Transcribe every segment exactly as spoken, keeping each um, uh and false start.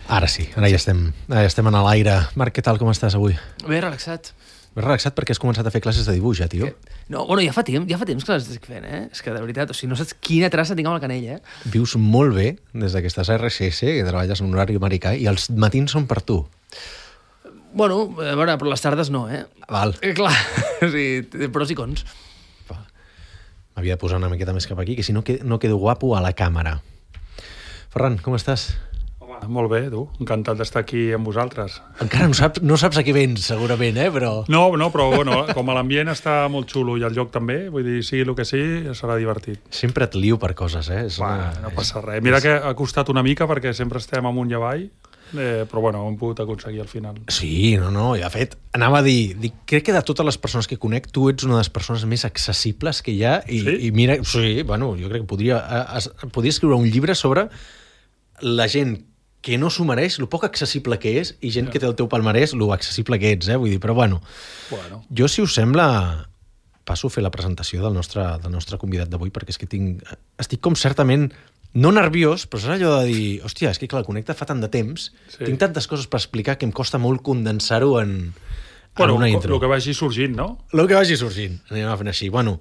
Ara sí, ara ja estem, ara ja estem en l'aire. Marc, què tal, com estàs avui? Bé, relaxat. Ben relaxat perquè has començat a fer classes de dibuix, ja, tio. Que... No, bueno, ja fa temps, ja fa temps que les estic fent, eh? És que, de veritat, o sigui, no saps quina traça tinc amb el canell, eh? Vius molt bé des que estàs a R S S, que treballes en un horari americà, i els matins són per tu. Bueno, a veure, però les tardes no, eh? Val. Eh, clar, o sigui, té pros i cons. M'havia de posar una miqueta més cap aquí, que si no, que, no quedo guapo a la càmera. Ferran, com estàs? Home, molt bé, tu. Encantat d'estar aquí amb vosaltres. Encara no saps, no saps a què vens, segurament, eh? Però... No, no, però bueno, com l'ambient està molt xulo i el lloc també, vull dir, sigui el que sigui, serà divertit. Sempre et lio per coses, eh? És Va, una... no passa res. Mira que ha costat una mica perquè sempre estem amunt i avall, eh, però bueno, ho hem pogut aconseguir al final. Sí, no, no, i de fet, anava a dir, dic, crec que de totes les persones que conec, tu ets una de les persones més accessibles que hi ha, i, sí? i mira, sí, bueno, jo crec que podria, es, podria escriure un llibre sobre la gent que no s'ho mereix, lo poc accessible que és, i gent ja. que té el teu palmarès, lo accessible que ets, eh? Vull dir, però bueno, bueno. Jo, si us sembla, passo a fer la presentació del nostre, del nostre convidat d'avui, perquè és que tinc, estic com certament, no nerviós, però és allò de dir, hòstia, és que clar, el Connecta fa tant de temps, sí. tinc tantes coses per explicar que em costa molt condensar-ho en, bueno, en una intro. El que vagi sorgint, no? El que vagi sorgint, anem a fer així. Bueno,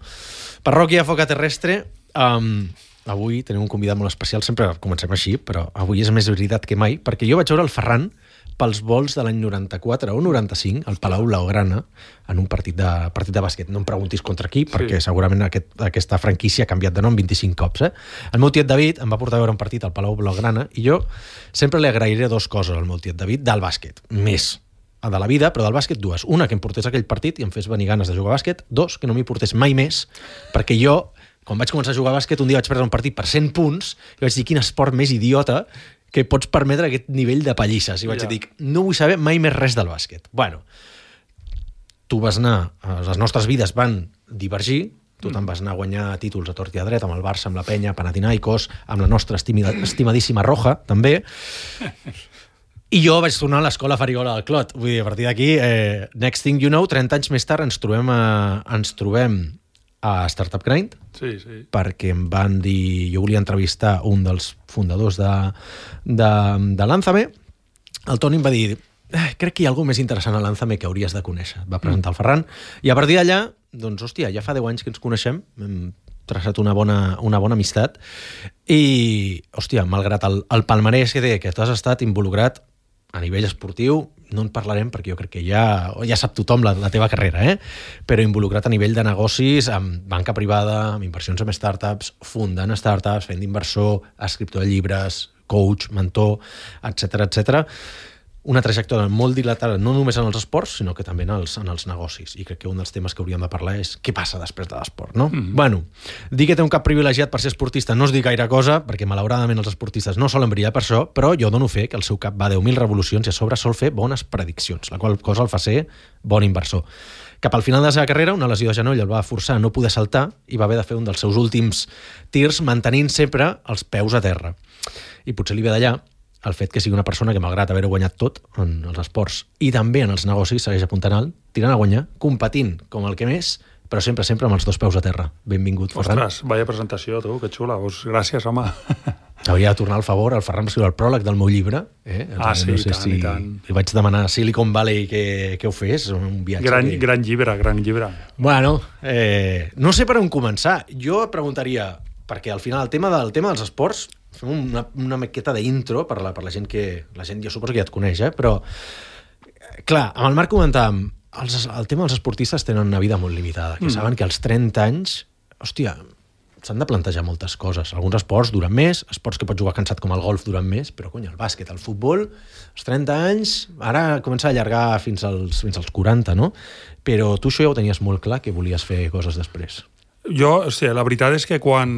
Parròquia Foca Terrestre, um, avui tenim un convidat molt especial, sempre comencem així, però avui és més veritat que mai, perquè jo vaig veure el Ferran pels vols de l'any noranta-quatre o noranta-cinc, al Palau Blaugrana, en un partit de, partit de bàsquet. No em preguntis contra qui, perquè sí. segurament aquest, aquesta franquícia ha canviat de nom vint-i-cinc cops. Eh? El meu tiet David em va portar a veure un partit al Palau Blaugrana i jo sempre li agrairé dues coses al meu tiet David del bàsquet. Més de la vida, però del bàsquet dues. Una, que em portés aquell partit i em fes venir ganes de jugar a bàsquet. Dos, que no m'hi portés mai més, perquè jo, quan vaig començar a jugar a bàsquet, un dia vaig perdre un partit per cent punts i vaig dir, quin esport més idiota que pots permetre aquest nivell de pallisses. I vaig ja. dir, no vull saber mai més res del bàsquet. Bueno, tu vas anar, les nostres vides van divergir, tu te'n vas anar a guanyar títols a tort i a dret, amb el Barça, amb la Penya, Panathinaikos, amb la nostra estimida, estimadíssima Roja, també. I jo vaig tornar a l'escola Farigola del Clot. Vull dir, a partir d'aquí, eh, next thing you know, trenta anys més tard ens trobem a, ens trobem a Startup Grind, sí, sí. perquè em van dir, jo volia entrevistar un dels fundadors de, de, de Lánzame. El Toni em va dir, eh, crec que hi ha alguna més interessant a Lánzame que hauries de conèixer. Va presentar el Ferran, i a partir d'allà, doncs, hòstia, ja fa deu anys que ens coneixem, hem traçat una bona, una bona amistat, i, hòstia, malgrat el, el palmarès que té, que tu has estat involucrat a nivell esportiu, no en parlarem perquè jo crec que ja, ja sap tothom la, la teva carrera, eh? Però involucrat a nivell de negocis, amb banca privada, amb inversions en startups, fundant startups, fent d'inversor, escriptor de llibres, coach, mentor, etcètera, etcètera. Una trajectòria molt dilatada, no només en els esports, sinó que també en els, en els negocis. I crec que un dels temes que hauríem de parlar és què passa després de l'esport, no? Mm-hmm. Bueno, dir que té un cap privilegiat per ser esportista no es diu gaire cosa, perquè malauradament els esportistes no solen brillar per això, però jo dono fe que el seu cap va a deu mil revolucions i a sobre sol fer bones prediccions, la qual cosa el fa ser bon inversor. Cap al final de la seva carrera, una lesió de genoll el va forçar a no poder saltar i va haver de fer un dels seus últims tirs mantenint sempre els peus a terra. I potser li ve d'allà el fet que sigui una persona que, malgrat haver-ho guanyat tot en els esports i també en els negocis, segueix apuntant alt, tirant a guanyar, competint com el que més, però sempre, sempre amb els dos peus a terra. Benvingut, Ferran. Ostres, vaya presentació, tu, que xula. Pues gràcies, home. Hauria de tornar al favor. El Ferran va escriure el pròleg del meu llibre. Eh? Ah, sí, no sé i tant, si... i tant. Li vaig demanar a Silicon Valley que, que ho fes, un viatge. Gran, que... gran llibre, gran llibre. Bueno, eh, no sé per on començar. Jo et preguntaria, perquè al final el tema del tema dels esports, fem una, una maqueta d'intro per la, per la gent que... La gent jo suposo que ja et coneix, eh? Però, clar, amb el Marc comentàvem, els, el tema dels esportistes tenen una vida molt limitada, que mm. saben que als trenta anys, hòstia, s'han de plantejar moltes coses. Alguns esports duren més, esports que pots jugar cansat com el golf duren més, però, cony, el bàsquet, el futbol, als trenta anys, ara comença a allargar fins als, fins als quaranta, no? Però tu això ja ho tenies molt clar, que volies fer coses després. Jo, hòstia, la veritat és que quan...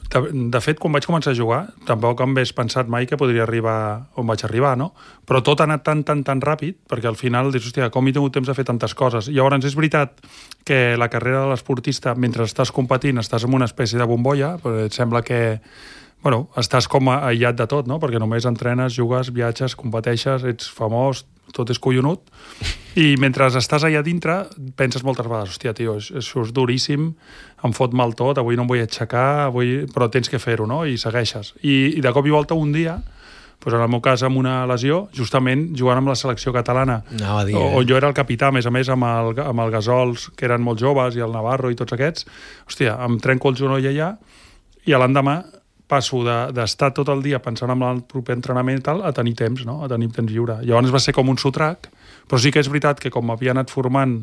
De, de fet, quan vaig començar a jugar, tampoc em hagués pensat mai que podria arribar on vaig arribar, no? Però tot ha anat tan, tan, tan ràpid, perquè al final dius, hòstia, com he tingut temps de fer tantes coses? I llavors és veritat que la carrera de l'esportista, mentre estàs competint, estàs en una espècie de bombolla, però et sembla que, bueno, estàs com aïllat de tot, no? Perquè només entrenes, jugues, viatges, competeixes, ets famós, tot és collonut, i mentre estàs allà dintre penses moltes vegades, hòstia, tio, això és duríssim, em fot mal tot, avui no em vull aixecar, avui... però tens que fer-ho, no? I segueixes. I, i de cop i volta un dia Pues en el meu cas, amb una lesió, justament jugant amb la selecció catalana, Anava a dir, on eh? jo era el capità, a més a més, amb el, amb el Gasols, que eren molt joves, i el Navarro i tots aquests, hòstia, em trenco el genoll allà, i a l'endemà passo d'estar tot el dia pensant en el proper entrenament i tal, a tenir temps, no? A tenir temps lliure. Llavors va ser com un sotrac, però sí que és veritat que com m'havia anat formant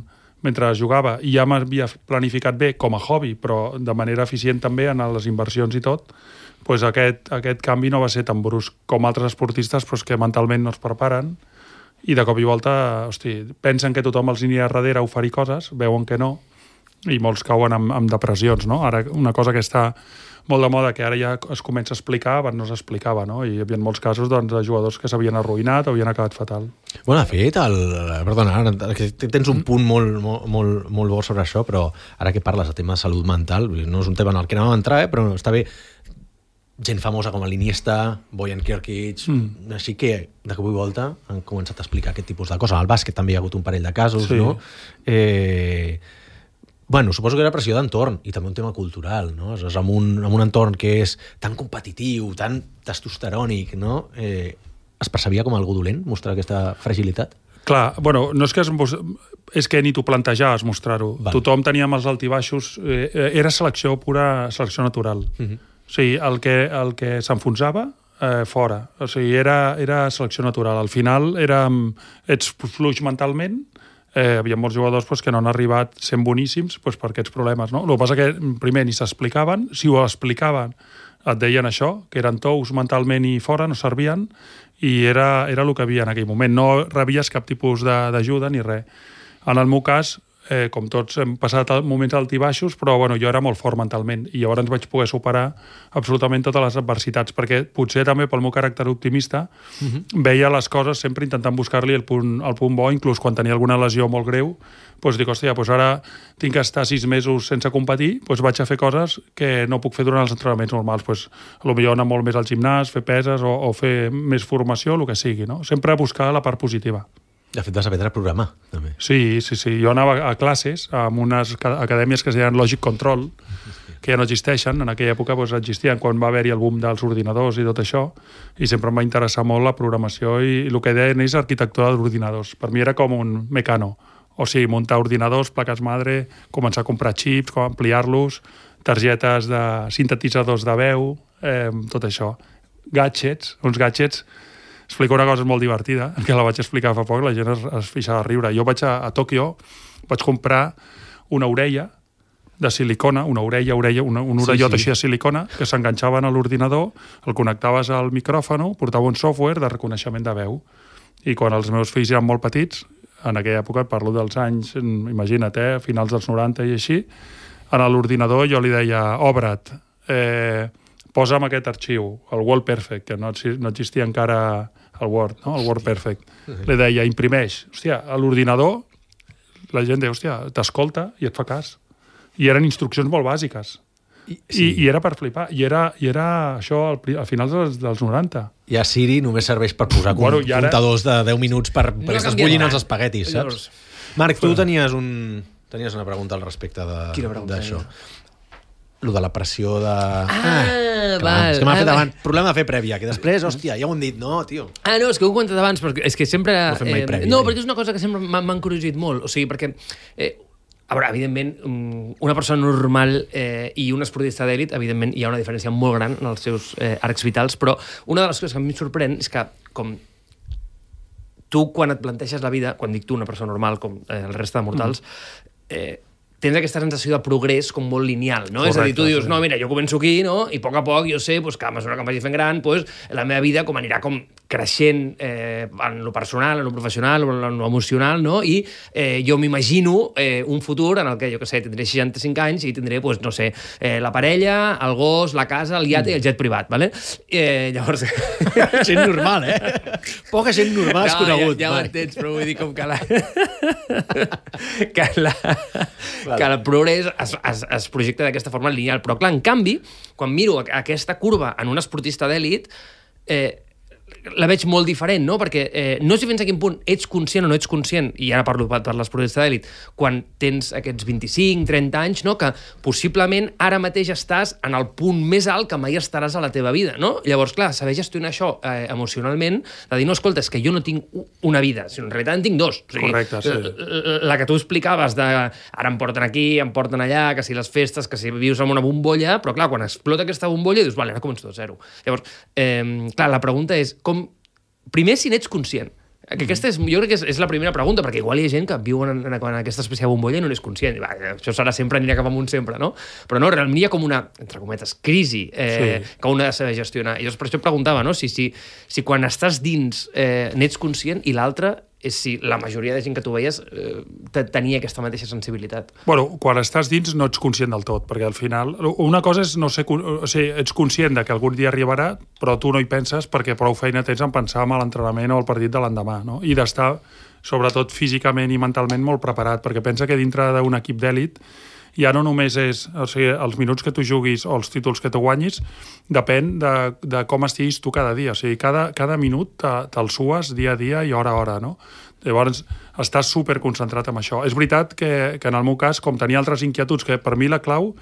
mentre jugava i ja m'havia planificat bé com a hobby, però de manera eficient també en les inversions i tot, doncs aquest, aquest canvi no va ser tan brusc com altres esportistes, però és que mentalment no es preparen i de cop i volta, hosti, pensen que tothom els anirà darrere a oferir coses, veuen que no, i molts cauen amb, amb depressions, no? Ara, una cosa que està molt de moda, que ara ja es comença a explicar, abans no s'explicava, no? I hi havia molts casos doncs, de jugadors que s'havien arruïnat o havien acabat fatal. Bueno, de fet, el, perdona, tens un punt molt, molt, molt, molt bo sobre això, però ara que parles de tema de salut mental, no és un tema en el que anàvem a entrar, eh, però està bé, gent famosa com l'Iniesta, Bojan Kirkic, mm. així que de cop i volta han començat a explicar aquest tipus de coses. Al bàsquet també hi ha hagut un parell de casos, sí. no? Eh... Bueno, suposo que era pressió d'entorn i també un tema cultural, no? És amb un, amb un entorn que és tan competitiu, tan testosterònic, no? Eh, es percebia com algú dolent mostrar aquesta fragilitat? Clar, bueno, no és que, es, és que ni t'ho plantejaves mostrar-ho. Tothom teníem els altibaixos, eh, era selecció pura, selecció natural. Uh-huh. O sigui, el que, el que s'enfonsava, eh, fora. O sigui, era, era selecció natural. Al final era, ets fluix mentalment. Eh, hi havia molts jugadors pues, que no han arribat sent boníssims pues, per aquests problemes. No? El que passa que primer ni s'explicaven, si ho explicaven et deien això, que eren tous mentalment i fora, no servien, i era, era el que havia en aquell moment. No rebies cap tipus d'ajuda ni res. En el meu cas, eh, com tots hem passat moments altibaixos, però bueno, jo era molt fort mentalment i llavors vaig poder superar absolutament totes les adversitats, perquè potser també pel meu caràcter optimista uh-huh. veia les coses sempre intentant buscar-li el punt, el punt bo, inclús quan tenia alguna lesió molt greu, doncs dic, hòstia, doncs ara tinc que estar sis mesos sense competir, doncs vaig a fer coses que no puc fer durant els entrenaments normals, doncs potser anar molt més al gimnàs, fer peses o, o fer més formació, el que sigui, no? Sempre buscar la part positiva. De fet, vas aprendre a programar, també. Sí, sí, sí. Jo anava a classes amb unes acadèmies que es deien Logic Control, que ja no existeixen. En aquella època doncs, existien quan va haver-hi el boom dels ordinadors i tot això, i sempre em va interessar molt la programació i el que deien és arquitectura d'ordinadors. Per mi era com un mecano. O sigui, muntar ordinadors, plaques madre, començar a comprar xips, com ampliar-los, targetes de sintetitzadors de veu, eh, tot això. Gadgets, uns gadgets. Explico una cosa molt divertida, que la vaig explicar fa poc, la gent es, es fixava a riure. Jo vaig a, a Tòquio, vaig comprar una orella de silicona, una orella, orella una, un orellot sí, sí. així de silicona, que s'enganxaven a l'ordinador, el connectaves al micròfon, portava un software de reconeixement de veu. I quan els meus fills eren molt petits, en aquella època, parlo dels anys, imagina't, eh, finals dels noranta i així, en l'ordinador jo li deia, obre't, eh, posa'm aquest arxiu, el Word Perfect, que no, no existia encara el Word, no? El Word Perfect. Li deia, imprimeix. Hòstia, a l'ordinador, la gent deia, hòstia, t'escolta i et fa cas. I eren instruccions molt bàsiques. I, sí. I, i era per flipar. I era, i era això al, a finals dels, dels noranta. I a Siri només serveix per posar bueno, ara... comptadors de deu minuts per, no perquè estàs bullint els espaguetis, saps? Marc, tu tenies, un, tenies una pregunta al respecte d'això. Lo de la pressió de... Ah, ah val. És que m'ha fet abans. Problema de fer prèvia, que després, hòstia, ja ho hem dit, no, tio. Ah, no, és que ho he comentat abans, perquè és que sempre... No fem mai eh, prèvia. No, perquè és una cosa que sempre m'ha encuriosat molt. O sigui, perquè... Eh, a veure, evidentment, una persona normal eh, i un esportista d'èlit, evidentment, hi ha una diferència molt gran en els seus eh, arcs vitals, però una de les coses que a mi em sorprèn és que, com tu, quan et planteges la vida, quan dic tu, una persona normal, com eh, el reste de mortals, eh, tens aquesta sensació de progrés com molt lineal, no? Correcte, és a dir, tu dius, sí. no, mira, jo començo aquí, no? I a poc a poc jo sé pues, que a mesura que em vagi fent gran, pues, la meva vida com anirà com creixent eh, en lo personal, en lo professional, en lo emocional, no? I eh, jo m'imagino eh, un futur en el que, jo què sé, tindré seixanta-cinc anys i tindré, pues, no sé, eh, la parella, el gos, la casa, el iate mm. i el jet privat, ¿vale? Eh, llavors... Gent normal, eh? Poca gent normal has no, conegut. Ja, ja ho entens, però vull dir com que la... que la... Clar. Que el progrés es, es, es projecta d'aquesta forma lineal. Però, clar, en canvi, quan miro aquesta curva en un esportista d'èlit, eh, la veig molt diferent, no? Perquè eh, no sé fins a quin punt ets conscient o no ets conscient, i ara parlo per, per l'esportista d'èlit, quan tens aquests vint-i-cinc trenta anys, no? Que possiblement ara mateix estàs en el punt més alt que mai estaràs a la teva vida, no? Llavors, clar, saber gestionar això eh, emocionalment, de dir, no, escolta, és que jo no tinc una vida, sinó en realitat en tinc dos. O sigui, correcte, sí. La, la que tu explicaves de ara em porten aquí, em porten allà, que si les festes, que si vius en una bombolla, però clar, quan explota aquesta bombolla, dius, vale, ara començo de zero. Llavors, eh, clar, la pregunta és, com primer, si n'ets conscient. Que aquesta és, jo crec que és, és la primera pregunta, perquè igual hi ha gent que viu en, en, en aquesta espècie de bombolla i no n'és conscient. Va, això serà sempre, anirà cap amunt sempre, no? Però no, realment hi ha com una, entre cometes, crisi eh, sí. que un ha de saber gestionar. I llavors per això preguntava, no? Si, si, si quan estàs dins eh, n'ets conscient i l'altre és si la majoria de gent que tu veies eh, tenia aquesta mateixa sensibilitat. Bueno, quan estàs dins no ets conscient del tot, perquè al final... Una cosa és no ser... O sigui, ets conscient de que algun dia arribarà, però tu no hi penses perquè prou feina tens en pensar en l'entrenament o el partit de l'endemà, no? I d'estar, sobretot físicament i mentalment, molt preparat, perquè pensa que dintre d'un equip d'èlit ja no només és, o sigui, els minuts que tu juguis o els títols que tu guanyis, depèn de, de com estiguis tu cada dia. O sigui, cada, cada minut te, te'l sues dia a dia i hora a hora, no? Llavors, estàs superconcentrat en això. És veritat que, que en el meu cas, com tenia altres inquietuds, que per mi la clau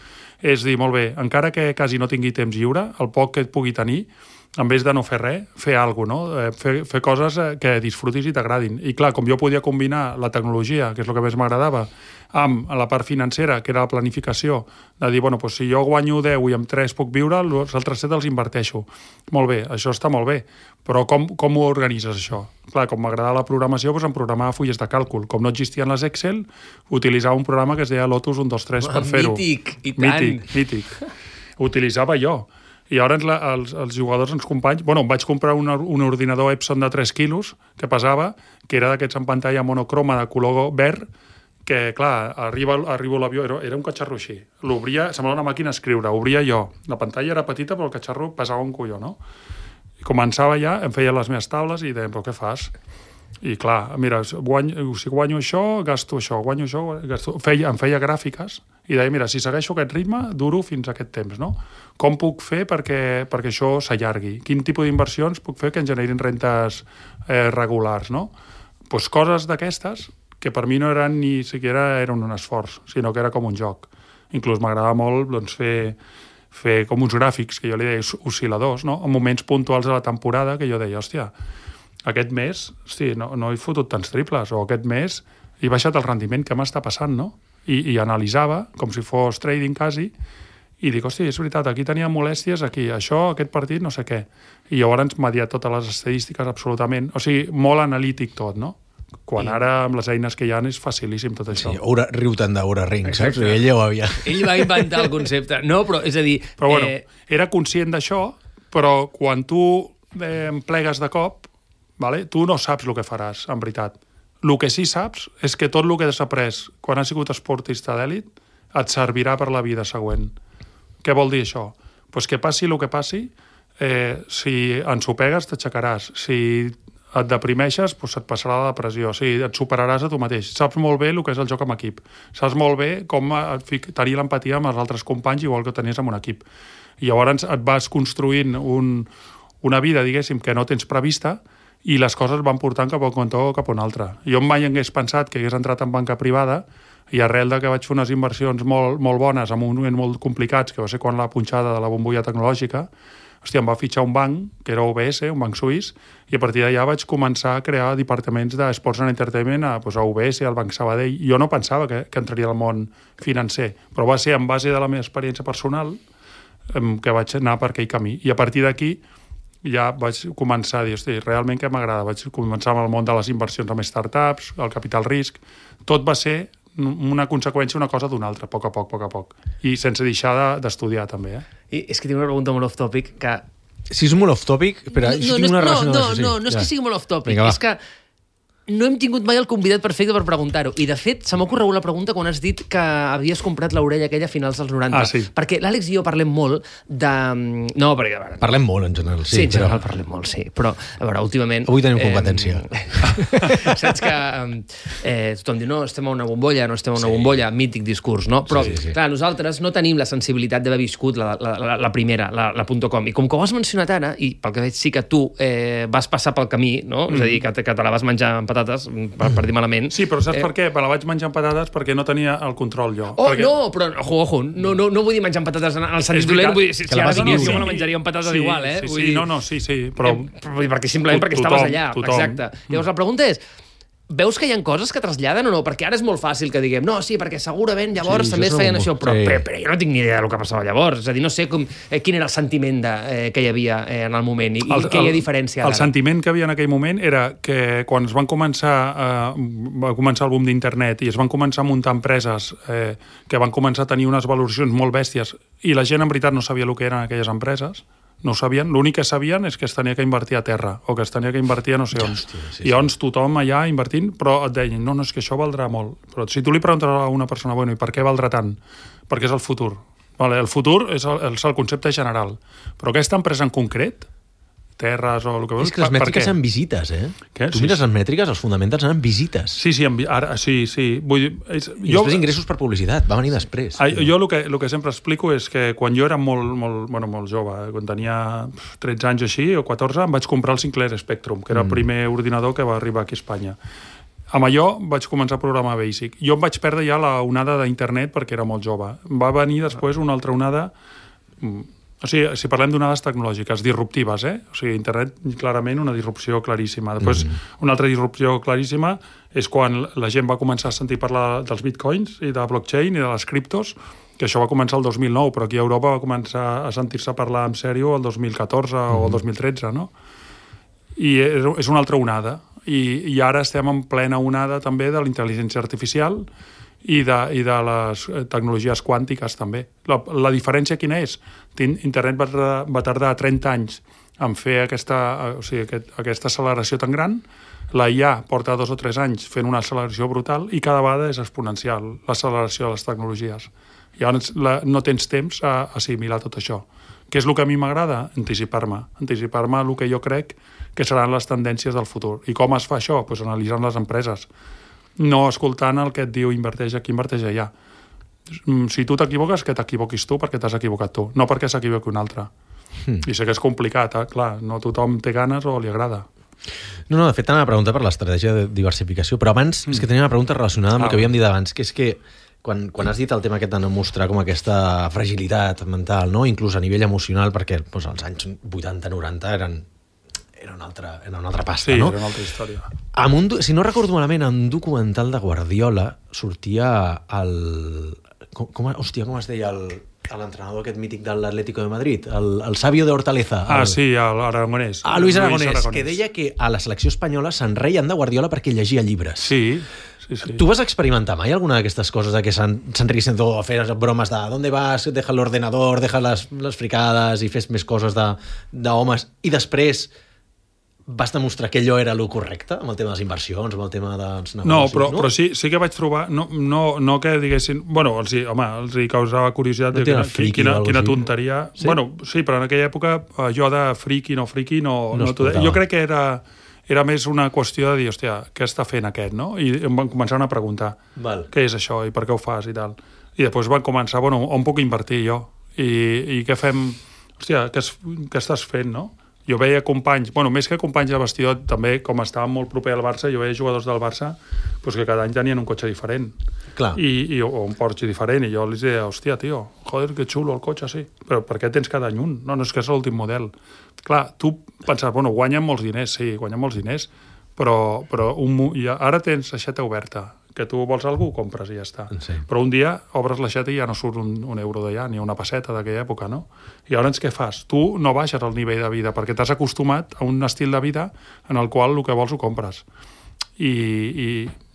és dir, molt bé, encara que quasi no tingui temps lliure, el poc que et pugui tenir, en vez de no fer res, fer alguna cosa, no? Fer, fer coses que disfrutis i t'agradin. I clar, com jo podia combinar la tecnologia, que és el que més m'agradava, amb la part financera, que era la planificació, de dir, bueno, doncs si jo guanyo deu i amb tres puc viure, els altres set els inverteixo. Molt bé, això està molt bé, però com, com ho organitzes, això? Clar, com m'agradava la programació, doncs em programava fulles de càlcul. Com no existien les Excel, utilitzava un programa que es deia Lotus un dos tres per fer-ho. Mític, i tant! Mític, mític. Utilitzava jo. I ara la, els, els jugadors, els companys... Bueno, em vaig comprar un, un ordinador Epson de tres quilos, que pesava, que era d'aquests en pantalla monocroma de color verd, que, clar, arriba, arriba l'avió, era, era un catxarro així. L'obria, semblava una màquina a escriure, obria jo. La pantalla era petita, però el catxarro pesava un colló, no? I començava ja, em feia les meves taules i deia, però què fas? I clar, mira, guanyo, si guanyo això, gasto això, guanyo això, gasto... Feia, em feia gràfiques i deia, mira, si segueixo aquest ritme, duro fins a aquest temps, no? Com puc fer perquè, perquè això s'allargui? Quin tipus d'inversions puc fer que en generin rentes eh, regulars, no? Pues coses d'aquestes que per mi no eren ni siquiera eren un esforç, sinó que era com un joc. Inclús m'agradava molt doncs, fer, fer com uns gràfics, que jo li deia oscil·ladors, no? En moments puntuals de la temporada que jo deia, hòstia, aquest mes, hosti, no, no he fotut tants triples, o aquest mes he baixat el rendiment, què m'està passant, no? I, i analitzava, com si fos trading quasi, i dic, hosti, és veritat, aquí tenia molèsties, aquí, això, aquest partit, no sé què. I llavors m'ha totes les estadístiques absolutament, o sigui, molt analític tot, no? Quan ara, amb les eines que hi ha, és facilíssim tot això. Sí, Oura, riu-te'n d'Oura Ring, saps? Ell ja ho havia... Ell va inventar el concepte. No, però, és a dir... Però, bueno, eh... era conscient d'això, però quan tu eh, em plegues de cop, vale, tu no saps el que faràs, en veritat. El que sí saps és que tot el que has après quan has sigut esportista d'èlit et servirà per la vida següent. Què vol dir això? Pues que passi el que passi, eh, si ensopegues t'aixecaràs, si et deprimeixes, doncs et passarà la depressió, o sigui, et superaràs a tu mateix. Saps molt bé el que és el joc en equip. Saps molt bé com tenir l'empatia amb els altres companys, igual que ho tenies en un equip. I llavors et vas construint un, una vida, diguéssim, que no tens prevista, i les coses van portant cap a un cantó o cap a un altre. Jo mai hagués pensat que hagués entrat en banca privada, i arrel de que vaig fer unes inversions molt, molt bones en un moment molt complicats, que va ser quan la punxada de la bombolla tecnològica, hòstia, em va fitxar un banc, que era U B S, un banc suís, i a partir d'allà vaig començar a crear departaments de Sports and Entertainment a, doncs, a U B S, al Banc Sabadell. Jo no pensava que, que entraria al món financer, però va ser en base de la meva experiència personal que vaig anar per aquell camí. I a partir d'aquí ja vaig començar a dir, hosti, realment què m'agrada? Vaig començar amb el món de les inversions amb startups, el capital risc. Tot va ser una conseqüència, una cosa d'una altra, a poc a poc, a poc a poc. I sense deixar d'estudiar, també. Eh? I és que tinc una pregunta molt off-topic que... Si és molt off-topic, però no, jo no, tinc una no, relació no, amb això. No, no, no és ja. que sigui molt off-topic, Vinga, és que no hem tingut mai el convidat perfecte per preguntar-ho. I, de fet, se m'ha ocorregut la pregunta quan has dit que havies comprat l'orella aquella a finals dels noranta. Ah, sí. Perquè l'Àlex i jo parlem molt de... No, perquè... Veure, parlem molt, en general. Sí, sí en general però... parlem molt, sí. Però, a veure, últimament... Avui tenim competència. Eh, saps que eh, tothom diu, no, estem a una bombolla, no estem a una sí. bombolla, mític discurs, no? Però, sí, sí, sí. clar, nosaltres no tenim la sensibilitat d'haver viscut la, la, la, la primera, la, la .com. I com que ho has mencionat ara, i pel que veig sí que tu eh, vas passar pel camí, no? Mm. És a dir, que, que te la vas menjar amb patates, per, per dir malament. Sí, però saps eh... per què? Me la vaig menjar amb patates perquè no tenia el control jo. Oh, perquè... no, però, ojo, ojo, no, no, no vull dir menjar amb patates en el sentit dolent, vull dir, si, si ara digués, jo me la menjaria amb patates sí, igual, eh? Sí, vull sí, dir... no, no, sí, sí, però... Eh, perquè simplement perquè tothom, estaves allà, tothom. exacte. Llavors la pregunta és, veus que hi ha coses que traslladen o no? Perquè ara és molt fàcil que diguem, no, sí, perquè segurament llavors sí, també es feien això, però, sí. però, però jo no tinc ni idea del que passava llavors. És a dir, no sé com, eh, quin era el sentiment de, eh, que hi havia eh, en el moment i, el, i què hi ha diferència ara. El sentiment que havia en aquell moment era que quan es van començar eh, va començar el boom d'internet i es van començar a muntar empreses eh, que van començar a tenir unes valoracions molt bèsties i la gent en veritat no sabia el que eren aquelles empreses, no ho sabien, l'únic que sabien és que es tenia que invertir a terra o que es tenia que invertir a no sé on. Hòstia, sí, I llavors sí. tothom allà invertint, però et deien, no, no, és que això valdrà molt. Però si tu li preguntes a una persona, bueno, i per què valdrà tant? Perquè és el futur. Vale, el futur és el, és el concepte general. Però aquesta empresa en concret, terres o el que vols... És que les mètriques en visites, eh? Què? Tu sí, mires sí. les mètriques, els fonamentals en visites. Sí, sí, ara, sí, sí. Vull dir, és, I jo... després ingressos per publicitat, va venir després. Ah, jo el que, el que sempre explico és que quan jo era molt, molt, bueno, molt jove, quan tenia tretze anys o així, o catorze, em vaig comprar el Sinclair Spectrum, que era el primer mm. ordinador que va arribar aquí a Espanya. Amb allò vaig començar a programar Basic. Jo em vaig perdre ja la onada d'internet perquè era molt jove. Va venir després una altra onada... O sigui, si parlem d'onades tecnològiques, disruptives, eh? O sigui, internet, clarament, una disrupció claríssima. Després, mm-hmm. una altra disrupció claríssima és quan la gent va començar a sentir parlar dels bitcoins i de blockchain i de les criptos, que això va començar el dos mil nou, però aquí a Europa va començar a sentir-se parlar en sèrio el dos mil catorze mm-hmm. o el dos mil tretze, no? I és una altra onada. I, i ara estem en plena onada també de la intel·ligència artificial i de, i de les tecnologies quàntiques també. La, la diferència quina és? Internet va, va tardar trenta anys en fer aquesta, o sigui, aquest, aquesta acceleració tan gran, la I A porta dos o tres anys fent una acceleració brutal i cada vegada és exponencial l'acceleració de les tecnologies. Llavors la, no tens temps a, a assimilar tot això. Què és el que a mi m'agrada? Anticipar-me. Anticipar-me el que jo crec que seran les tendències del futur. I com es fa això? Pues analitzant les empreses. No escoltant el que et diu inverteix aquí, inverteix allà. Si tu t'equivoques, que t'equivoquis tu perquè t'has equivocat tu, no perquè s'equivoqui un altre. Mm. I sé que és complicat, eh? Clar, no tothom té ganes o li agrada. No, no, de fet, t'anava a preguntar per l'estratègia de diversificació, però abans mm. és que tenia una pregunta relacionada amb ah, el que havíem dit abans, que és que quan, quan has dit el tema aquest de no mostrar com aquesta fragilitat mental, no? Inclús a nivell emocional, perquè doncs, els anys vuitanta noranta eren era una altra, era una altra pasta, sí, no? Sí, era una altra història. Amb un, si no recordo malament, en un documental de Guardiola sortia el... Com, com, hòstia, com es deia el, l'entrenador aquest mític de l'Atlético de Madrid? El, el Sabio de Hortaleza. El, ah, sí, l'Aragonès. Ah, Luis Aragonès, Aragonès, que deia que a la selecció espanyola se'n reien de Guardiola perquè llegia llibres. Sí, sí, sí. Tu vas experimentar mai alguna d'aquestes coses de que se'n riguessin o fer bromes de ¿dónde vas? Deja l'ordenador, deja les, les fricades i fes més coses d'homes i després vas demostrar que allò era el correcte amb el tema de les inversions, amb el tema dels negocis, no? Però, no? però sí, sí que vaig trobar, no, no, no que diguessin... Bueno, els, home, els hi causava curiositat no de quina, quina, quina tonteria... Sí? Bueno, sí, però en aquella època jo de friki, no friki, no... no, no jo crec que era, era més una qüestió de dir, hòstia, què està fent aquest, no? I em van començar a preguntar Val. Què és això i per què ho fas i tal. I després van començar, bueno, on puc invertir jo? I, i què fem... Hòstia, què, es, què estàs fent, no? Jo veia companys, bueno, més que companys de vestidor, també, com estàvem molt proper al Barça, jo veia jugadors del Barça pues, que cada any tenien un cotxe diferent. Clar. I, i, o un Porsche diferent, i jo els deia, hòstia, tio, joder, que xulo el cotxe, sí. Però per què tens cada any un? No, no és que és l'últim model. Clar, tu penses, bueno, guanyen molts diners, sí, guanyen molts diners, però, però un, ja, ara tens l'aixeta oberta, que tu vols algú, ho compres i ja està. Sí. Però un dia obres l'aixeta i ja no surt un, un euro d'allà, ni una pesseta d'aquella època, no? I llavors què fas? Tu no baixes el nivell de vida, perquè t'has acostumat a un estil de vida en el qual el que vols ho compres. I, i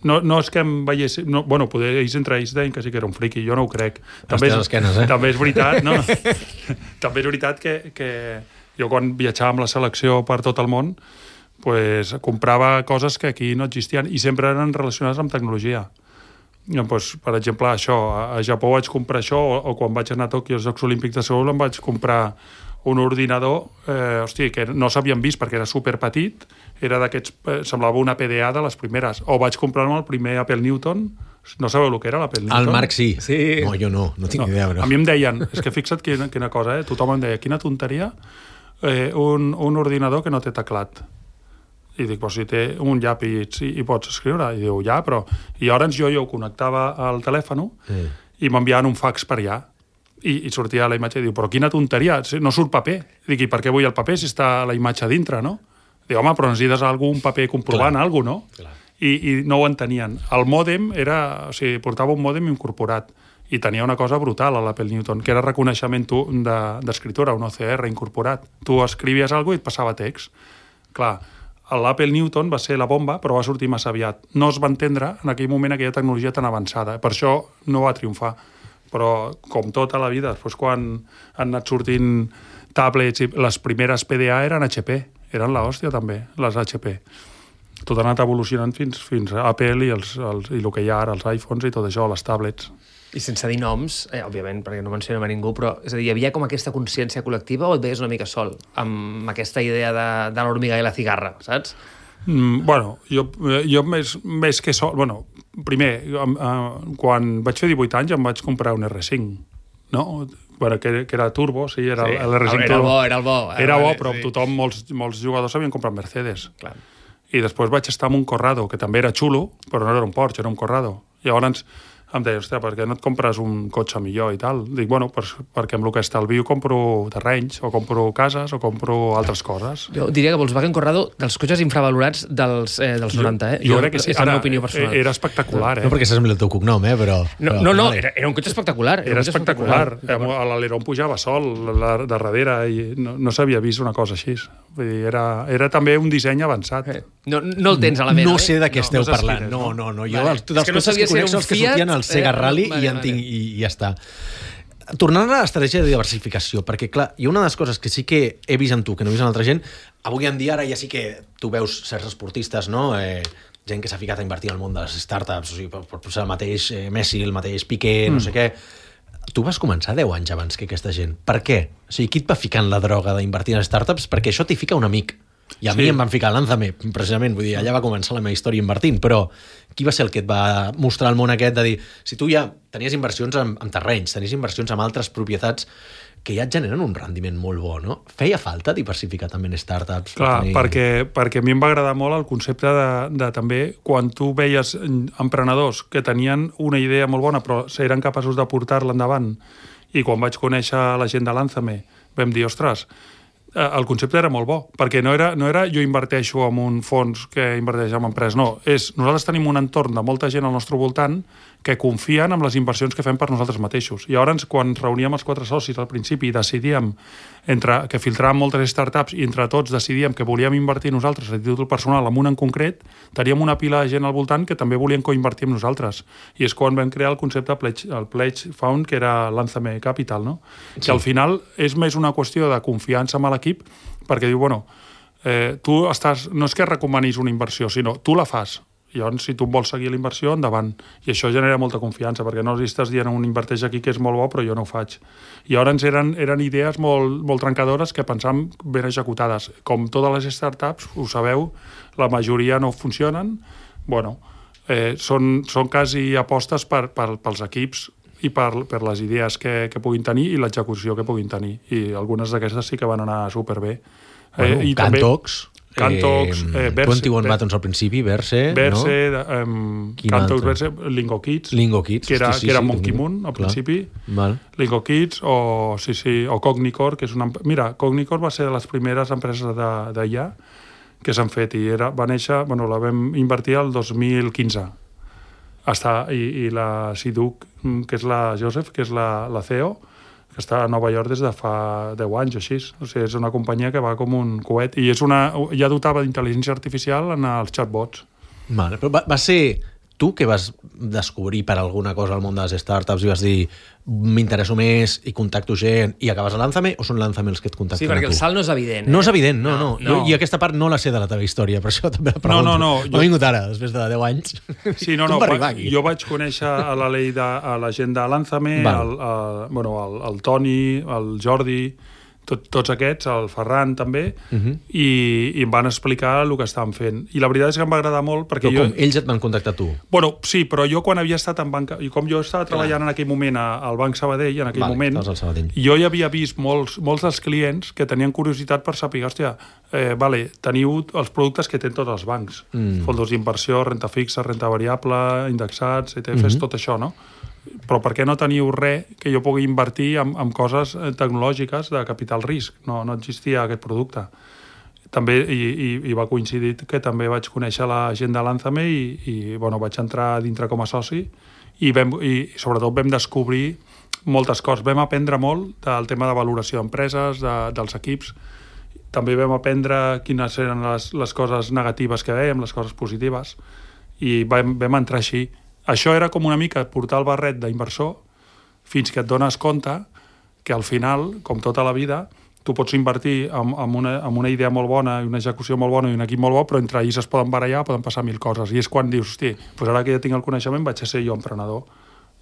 no, no és que em veiessin... No, bueno, poder ells entre ells deien que sí que era un friqui, jo no ho crec. També és, esquenes, eh? també és veritat, no? També és veritat que, que jo quan viatjava amb la selecció per tot el món pues, comprava coses que aquí no existien i sempre eren relacionades amb tecnologia. Pues, per exemple, això, a Japó vaig comprar això, o, o quan vaig anar a Tòquio als Jocs Olímpics de Seul em vaig comprar un ordinador eh, hosti, que no s'havien vist perquè era superpetit, era d'aquests, eh, semblava una P D A de les primeres, o vaig comprar-me el primer Apple Newton. No sabeu el que era l'Apple Newton? El Marc sí. Sí. No, jo no, no tinc no. idea. Però... A mi em deien, és que fixa't quina, quina cosa, eh? Tothom em deia, quina tonteria, eh, un, un ordinador que no té teclat. I dic, però si té un llapis i, i pots escriure. I diu, ja, però... I llavors jo, jo ho connectava al telèfon sí. i m'enviaven un fax per allà. I, i sortia la imatge i diu, però quina tonteria, no surt paper. Dic, i per què vull el paper si està la imatge dintre, no? Diu, home, però necessites algun paper comprovant alguna cosa, no? Clar. I, I no ho entenien. El mòdem era... O sigui, portava un mòdem incorporat i tenia una cosa brutal a l'Apple Newton, que era reconeixement d'escriptura, un O C R incorporat. Tu escrivies alguna cosa i et passava text. Clar, l'Apple Newton va ser la bomba, però va sortir massa aviat. No es va entendre en aquell moment aquella tecnologia tan avançada. Per això no va triomfar. Però, com tota la vida, després quan han anat sortint tablets, i les primeres P D A eren H P. Eren l'hòstia, també, les H P. Tot ha anat evolucionant fins, fins a Apple i, els, els, i el que hi ha ara, els iPhones i tot això, les tablets. I sense dir noms, eh, òbviament, perquè no mencionem a ningú, però és a dir, hi havia com aquesta consciència col·lectiva o et veies una mica sol amb aquesta idea de, de l'hormiga i la cigarra, saps? Mm, bueno, jo, jo més, més que sol... Bueno, primer, eh, quan vaig fer divuit anys em vaig comprar un R cinc, no? Bueno, que, que era turbo, sí, era sí, l'R cinc era turbo. Bo, era el bo. Era, era bo, però sí. Tothom, molts, molts jugadors havien comprat Mercedes. Clar. I després vaig estar amb un Corrado, que també era xulo, però no era un Porsche, era un Corrado. Llavors em deia, hòstia, per què no et compres un cotxe millor i tal? Dic, bueno, per, perquè amb el que estalvio compro terrenys, o compro cases, o compro altres coses. Jo diria que Volkswagen Corrado, dels cotxes infravalorats dels, eh, dels noranta, eh? Jo, jo crec que sí. És la meva opinió personal. Era espectacular, eh? No perquè saps el teu cognom, eh? Però, no, però, no, no vale. era, era un cotxe espectacular. Era, era espectacular. espectacular. L'aleró pujava sol la, de darrere i no, no s'havia vist una cosa així. Vull dir, era, era també un disseny avançat. Eh. No, no el tens a la meva, no sé de què no, esteu no parlant. Quines, no, no, no. Jo, vale. els, dels que no cotxes que conec són els que sortien al Sega eh, Rally vale, i, en tinc, vale. i, i ja està. Tornant a l'estratègia de diversificació, perquè, clar, hi ha una de les coses que sí que he vist en tu, que no he vist en altra gent, avui en dia ara ja sí que tu veus certs esportistes, no?, eh, gent que s'ha ficat a invertir en el món de les startups, o sigui, per, per posar el mateix eh, Messi, el mateix Piqué, mm. no sé què. Tu vas començar deu anys abans que aquesta gent. Per què? O sigui, qui et va ficar en la droga d'invertir en startups? Perquè això t'hi fica un amic. I a sí. mi em van ficar Lánzame, precisament, vull dir, allà va començar la meva història invertint, però qui va ser el que et va mostrar el món aquest de dir, si tu ja tenies inversions en, en terrenys, tenies inversions en altres propietats que ja et generen un rendiment molt bo, no? Feia falta diversificar també en startups? Clar, tenir... perquè, perquè a mi em va agradar molt el concepte de, de també, quan tu veies emprenedors que tenien una idea molt bona però eren capaços de portar-la endavant, i quan vaig conèixer la gent de Lánzame vam dir, ostres, el concepte era molt bo, perquè no era, no era jo inverteixo en un fons que inverteix en empreses, no, és nosaltres tenim un entorn de molta gent al nostre voltant que confien en les inversions que fem per nosaltres mateixos. I llavors, quan ens reuníem els quatre socis al principi i decidíem entre, que filtràvem moltes startups i entre tots decidíem que volíem invertir nosaltres a títol personal en un en concret, teníem una pila de gent al voltant que també volien coinvertir amb nosaltres. I és quan vam crear el concepte Pledge, el Pledge Fund, que era Lánzame Capital, no? Sí. Que al final és més una qüestió de confiança amb l'equip, perquè diu, bueno, eh, tu estàs, no és que recomanis una inversió, sinó tu la fas. I llavors, si tu vols seguir la inversió, endavant. I això genera molta confiança, perquè no estàs dient un inverteix aquí que és molt bo, però jo no ho faig. I llavors eren, eren idees molt, molt trencadores que pensàvem ben executades. Com totes les startups, ho sabeu, la majoria no funcionen. Bueno, eh, són, són quasi apostes per, per, pels equips i per, per les idees que, que puguin tenir i l'execució que puguin tenir. I algunes d'aquestes sí que van anar superbé. Bueno, eh, i Cantox... Cantox, eh, Verse... vint i un Buttons al principi, Verse, Verse, no? Um, Cantox, Verse, Lingo Kids, Lingo Kids, que era, sí, sí, que era sí, Monkey sí, Moon al clar. principi, Val. Lingo Kids, o, sí, sí, o Cognicore, que és una... Mira, Cognicore va ser de les primeres empreses d'I A que s'han fet, i era, va néixer, bueno, la vam invertir el dos mil quinze. Està, i, i la Siduc, que és la Joseph, que és la, la C E O, que està a Nova York des de fa deu anys o així. O sigui, és una companyia que va com un coet i és una, ja dotava d'intel·ligència artificial en els chatbots. Vale, però va, va ser tu que vas descobrir per alguna cosa al món de les startups i vas dir m'interesso més i contacto gent i acabes a Lánzame, o són Lánzame els que et contacten Sí, perquè a tu? el salt no és evident. Eh? No és evident, no, no. no. Jo, I aquesta part no la sé de la teva història, per això també la pregunto. No, no, no. Jo... M'ha vingut ara, després de deu anys. Sí, no, Com no. va arribar aquí? Jo vaig conèixer a la, Lei de, a la gent de Lánzame, el, el, bueno, el, el Toni, el Jordi, tot, tots aquests, el Ferran també, uh -huh. i, i em van explicar el que estaven fent. I la veritat és que em va agradar molt perquè Però jo... com, ells et van contactar a tu? Bueno, sí, però jo quan havia estat en banca... I com jo estava treballant en aquell moment al Banc Sabadell, en aquell vale, moment, al Sabadell. jo ja havia vist molts, molts dels clients que tenien curiositat per saber, hòstia, eh, vale, teniu els productes que tenen tots els bancs. Mm. Fondos d'inversió, renta fixa, renta variable, indexats, E T Fs, mm-hmm. tot això, no? Però per què no teniu res que jo pugui invertir en, en coses tecnològiques de capital risc? No, no existia aquest producte. També, i, i, i va coincidir que també vaig conèixer la gent de Lánzame i, i bueno, vaig entrar dintre com a soci i, vam, i sobretot vam descobrir moltes coses. Vam aprendre molt del tema de valoració d'empreses, de, dels equips. També vam aprendre quines eren les, les coses negatives que veiem, les coses positives, i vam, vam entrar així. Això era com una mica portar el barret d'inversor fins que et dones compte que al final, com tota la vida, tu pots invertir en, en, una, en una idea molt bona i una execució molt bona i un equip molt bo, però entre ells es poden barallar, poden passar mil coses. I és quan dius, hosti, doncs ara que ja tinc el coneixement vaig a ser jo emprenedor.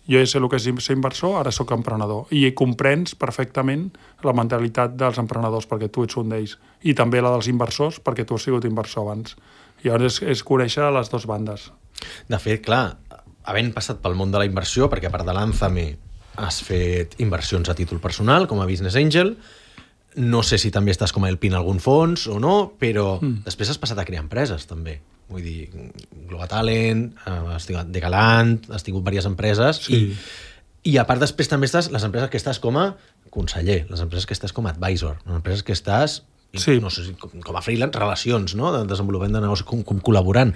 Jo ja sé el que és ser inversor, ara sóc emprenedor. I comprens perfectament la mentalitat dels emprenedors, perquè tu ets un d'ells. I també la dels inversors, perquè tu has sigut inversor abans. I llavors és, és conèixer les dues bandes. De fet, clar, havent passat pel món de la inversió, perquè a part de Lánzame has fet inversions a títol personal, com a Business Angel, no sé si també estàs com a L P en algun fons o no, però mm. després has passat a crear empreses, també. Vull dir, Global Talent, has tingut Degalant, has tingut diverses empreses, sí. i, i a part després també estàs les empreses que estàs com a conseller, les empreses que estàs com a advisor, les empreses que estàs, sí. no sé si com, com a freelance, relacions, no?, de desenvolupament de negoci, com, com col·laborant.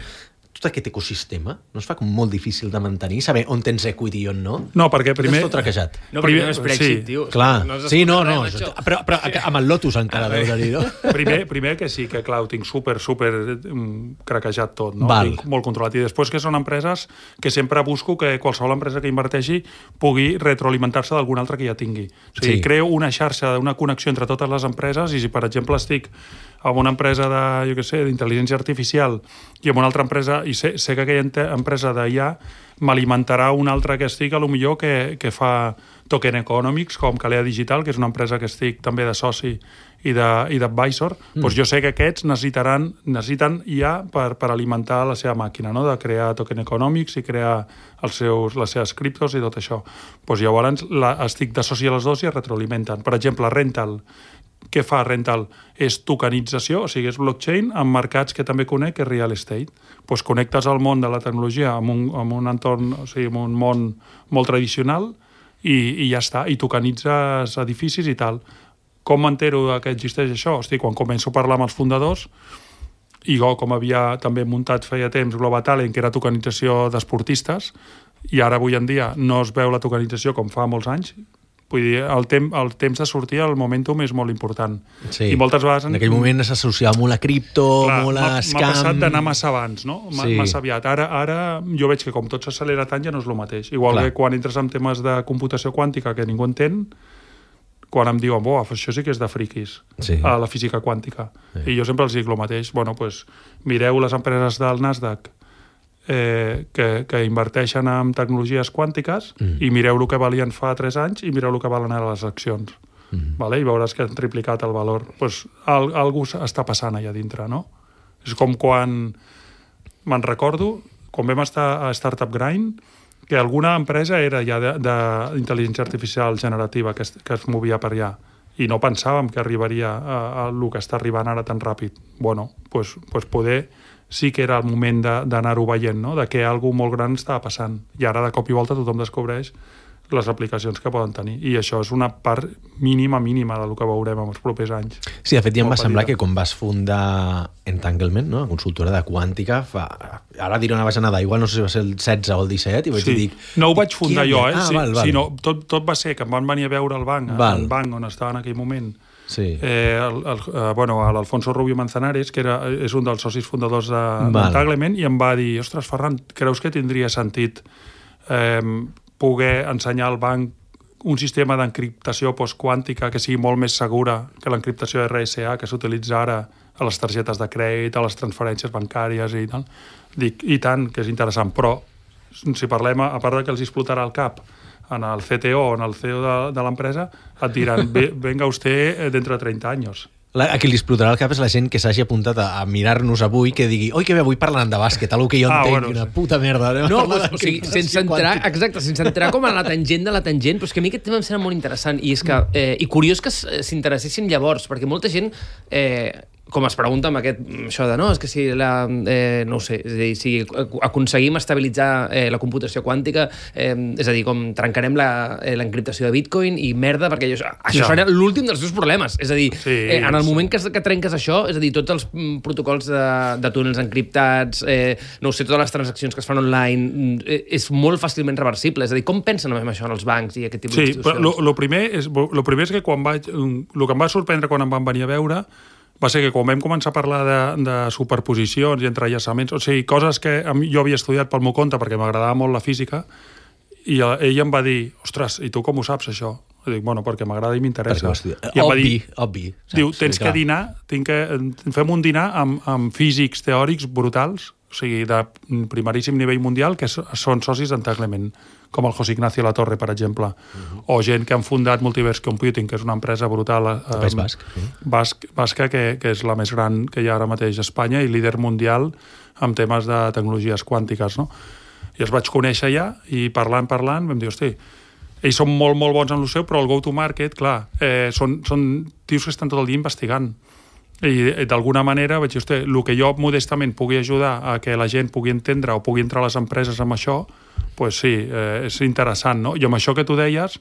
Tot aquest ecosistema no es fa com molt difícil de mantenir, saber on tens equity i on no? No, perquè primer... Tot traquejat. No, perquè no és Brexit, sí. tio. Clar, no sí, no, no. Res, Però, però amb el Lotus encara deu tenir, no? Primer, primer que sí, que clar, ho tinc super, super um, craquejat tot, no? Val. Tinc molt controlat. I després que són empreses que sempre busco que qualsevol empresa que inverteixi pugui retroalimentar-se d'alguna altra que ja tingui. O sigui, Sí. creo una xarxa, una connexió entre totes les empreses, i si, per exemple, estic amb una empresa de, jo què sé, d'intel·ligència artificial i amb una altra empresa, i sé, sé que aquella empresa d'I A m'alimentarà una altra que estic, a lo millor que, que fa Token Economics, com Calea Digital, que és una empresa que estic també de soci i d'advisor, mm. doncs jo sé que aquests necessitaran, necessiten I A per, per alimentar la seva màquina, no?, de crear Token Economics i crear els seus, les seves criptos i tot això. Doncs llavors la, estic de soci a les dues i es retroalimenten. Per exemple, Rental, què fa Rental? És tokenització, o sigui, és blockchain en mercats que també conec, que és real estate. Doncs connectes el món de la tecnologia amb un, amb un entorn, o sigui, amb un món molt tradicional i, i ja està, i tokenitzes edificis i tal. Com m'entero que existeix això? Hosti, quan començo a parlar amb els fundadors, i jo, com havia també muntat feia temps Global Talent, que era tokenització d'esportistes, i ara avui en dia no es veu la tokenització com fa molts anys. Vull dir, el, tem el temps de sortir, el momentum és molt important. Sí. I moltes vegades... En aquell moment s'associava molt a cripto, Clar, molt a scam... M'ha passat d'anar massa abans, no? Sí. Massa aviat. Ara, ara jo veig que com tot s'accelera tant ja no és el mateix. Igual Clar. que quan entres en temes de computació quàntica que ningú entén, quan em diuen, bo, això sí que és de friquis, Sí. a la física quàntica. Sí. I jo sempre els dic el mateix. Bueno, pues, mireu les empreses del Nasdaq eh, que, que inverteixen en tecnologies quàntiques mm. i mireu el que valien fa tres anys i mireu el que valen ara les accions. Mm. Vale? I veuràs que han triplicat el valor. Pues, al, algú està passant allà dintre, no? És com quan... Me'n recordo, quan vam estar a Startup Grind, que alguna empresa era ja d'intel·ligència artificial generativa que es, que es movia per allà. I no pensàvem que arribaria a, a el que està arribant ara tan ràpid. Bueno, pues, pues poder sí que era el moment d'anar-ho veient, no?, de que alguna molt gran estava passant. I ara, de cop i volta, tothom descobreix les aplicacions que poden tenir. I això és una part mínima, mínima del que veurem en els propers anys. Sí, de fet, ja em va semblar que quan vas fundar Entanglement, no? La consultora de quàntica, fa... ara diré una bajanada, igual no sé si va ser el setze o el disset, i vaig sí. dir... No ho vaig fundar jo, eh? Ah, sí, val, val. Sinó, tot, tot va ser que em van venir a veure al banc, al banc on estava en aquell moment, sí. eh, el, el, eh, bueno, l'Alfonso Rubio Manzanares, que era, és un dels socis fundadors d'Entanglement, i em va dir, ostres, Ferran, creus que tindria sentit eh, poder ensenyar al banc un sistema d'encriptació postquàntica que sigui molt més segura que l'encriptació R S A que s'utilitza ara a les targetes de crèdit, a les transferències bancàries i tal. Dic, i tant, que és interessant, però si parlem, a part que els explotarà el cap en el C T O o en el C E O de, de l'empresa, et diran, venga usted dentro de treinta anys. La, a qui li explotarà el cap és la gent que s'hagi apuntat a, a mirar-nos avui, que digui, oi, que bé, avui parlant de bàsquet, algo que jo ah, entenc, bueno, una sí. puta merda. No, pues, o sigui, sense entrar, exacte, sense entrar com a la tangent de la tangent, però és que a mi aquest tema em sembla molt interessant, i és que, eh, i curiós que s'interessessin llavors, perquè molta gent... Eh, com es pregunta amb aquest, això de no, és que si la, eh, no ho sé, és a dir, si aconseguim estabilitzar eh, la computació quàntica, eh, és a dir, com trencarem l'encriptació de Bitcoin i merda, perquè això, això ja. serà l'últim dels seus problemes. És a dir, sí, eh, en el sí. moment que, que trenques això, és a dir, tots els protocols de, de túnels encriptats, eh, no ho sé, totes les transaccions que es fan online, eh, és molt fàcilment reversible. És a dir, com pensen en això en els bancs i aquest tipus sí, d'institucions? Sí, però el primer, és, lo primer és que quan vaig... El que em va sorprendre quan em van venir a veure va ser que quan vam començar a parlar de, de superposicions i entrellaçaments, o sigui, coses que jo havia estudiat pel meu compte perquè m'agradava molt la física, i ell em va dir, ostres, i tu com ho saps, això? I dic, bueno, perquè m'agrada i m'interessa. I em va dir, obvi. Diu, tens sí, que dinar, tinc que, fem un dinar amb, amb físics teòrics brutals, o sigui, de primeríssim nivell mundial, que són socis d'Entanglement, com el José Ignacio Latorre, per exemple, uh-huh. o gent que han fundat Multiverse Computing, que és una empresa brutal eh, basc, sí. basc, basca, que, que és la més gran que hi ha ara mateix a Espanya i líder mundial en temes de tecnologies quàntiques, no? I els vaig conèixer ja, i parlant, parlant, vam dir, hosti, ells són molt, molt bons en el seu, però el go-to-market, clar, eh, són, són tios que estan tot el dia investigant. I d'alguna manera vaig dir, hosti, el que jo modestament pugui ajudar a que la gent pugui entendre o pugui entrar a les empreses amb això, pues sí, eh, és interessant, no? I amb això que tu deies,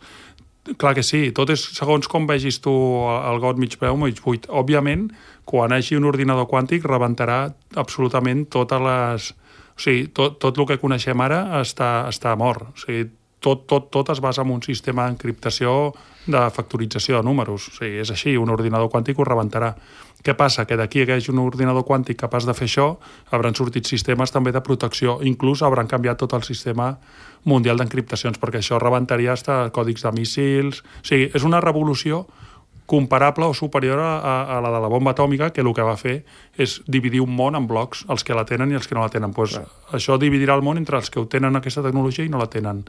clar que sí, tot és segons com vegis tu el got mig peu, mig buit. Òbviament, quan hagi un ordinador quàntic rebentarà absolutament totes les... O sigui, tot, tot el que coneixem ara està, està mort. O sigui, tot, tot, tot es basa en un sistema d'encriptació de factorització de números. O sigui, és així, un ordinador quàntic ho rebentarà. Què passa? Que d'aquí que hi hagi un ordinador quàntic capaç de fer això, hauran sortit sistemes també de protecció, inclús hauran canviat tot el sistema mundial d'encriptacions, perquè això rebentaria fins a còdics de míssils... O sigui, és una revolució comparable o superior a, a la de la bomba atòmica, que el que va fer és dividir un món en blocs, els que la tenen i els que no la tenen. Pues, això dividirà el món entre els que ho tenen aquesta tecnologia i no la tenen.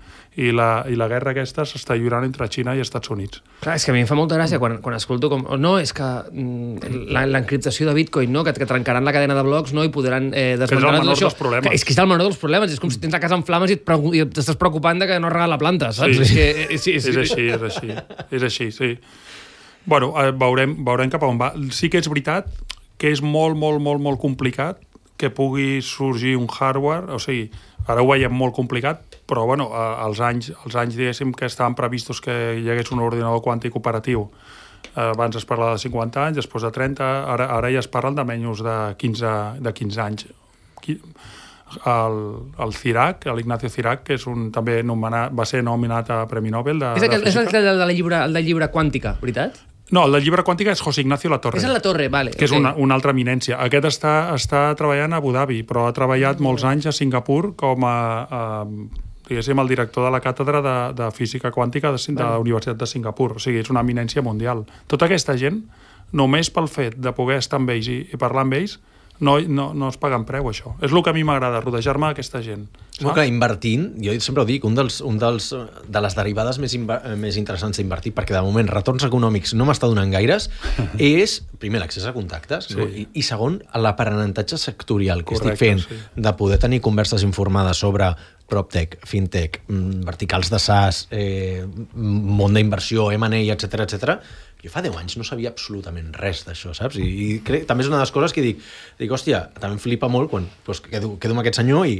I la, i la guerra aquesta s'està lliurant entre Xina i Estats Units. Clar, és que a mi em fa molta gràcia quan, quan escolto com... No, és que l'encriptació de Bitcoin, no? que, que trencaran la cadena de blocs, no? I podran eh, desmantelar tot això. Que és que és el menor dels problemes. És com si tens la casa en flames i t'estàs preocupant de que no regala la planta, saps? Sí. És, que, sí, sí. és així, és així. És així, sí. Bueno, veurem, veurem cap a on va. Sí que és veritat que és molt, molt, molt, molt complicat que pugui sorgir un hardware, o sigui, ara ho veiem molt complicat, però bueno, als anys, als anys diguéssim que estaven previstos que hi hagués un ordinador quàntic operatiu. Abans es parlava de cinquanta anys, després de trenta, ara, ara ja es parlen de menys de quinze, de quinze anys. El, el Cirac, l'Ignacio Cirac, que és un, també nomenat, va ser nominat a Premi Nobel de, és el, de és el de la llibre, el de llibre quàntica, veritat? No, el de llibre quàntica és José Ignacio Latorre. És la Torre, vale. Que és okay. una, una altra eminència. Aquest està, està treballant a Abu Dhabi, però ha treballat molts anys a Singapur com a, a diguéssim, el director de la càtedra de, de física quàntica de, de la Universitat de Singapur. O sigui, és una eminència mundial. Tota aquesta gent, només pel fet de poder estar amb ells i, i parlar amb ells, no, no, no es paguen preu, això. És el que a mi m'agrada, rodejar-me d'aquesta gent. No, clar, invertint, jo sempre ho dic, un dels, un dels, de les derivades més, més interessants d'invertir, perquè de moment retorns econòmics no m'està donant gaires, és, primer, l'accés a contactes, sí. no? I, i segon, l'aprenentatge sectorial que Correcte, estic fent, sí. de poder tenir converses informades sobre PropTech, FinTech, verticals de SaaS, eh, món d'inversió, M and A, etcètera, etcètera. Jo fa deu anys no sabia absolutament res d'això, saps? I, i crec, també és una de les coses que dic, dic, hòstia, també em flipa molt quan doncs, quedo, quedo amb aquest senyor i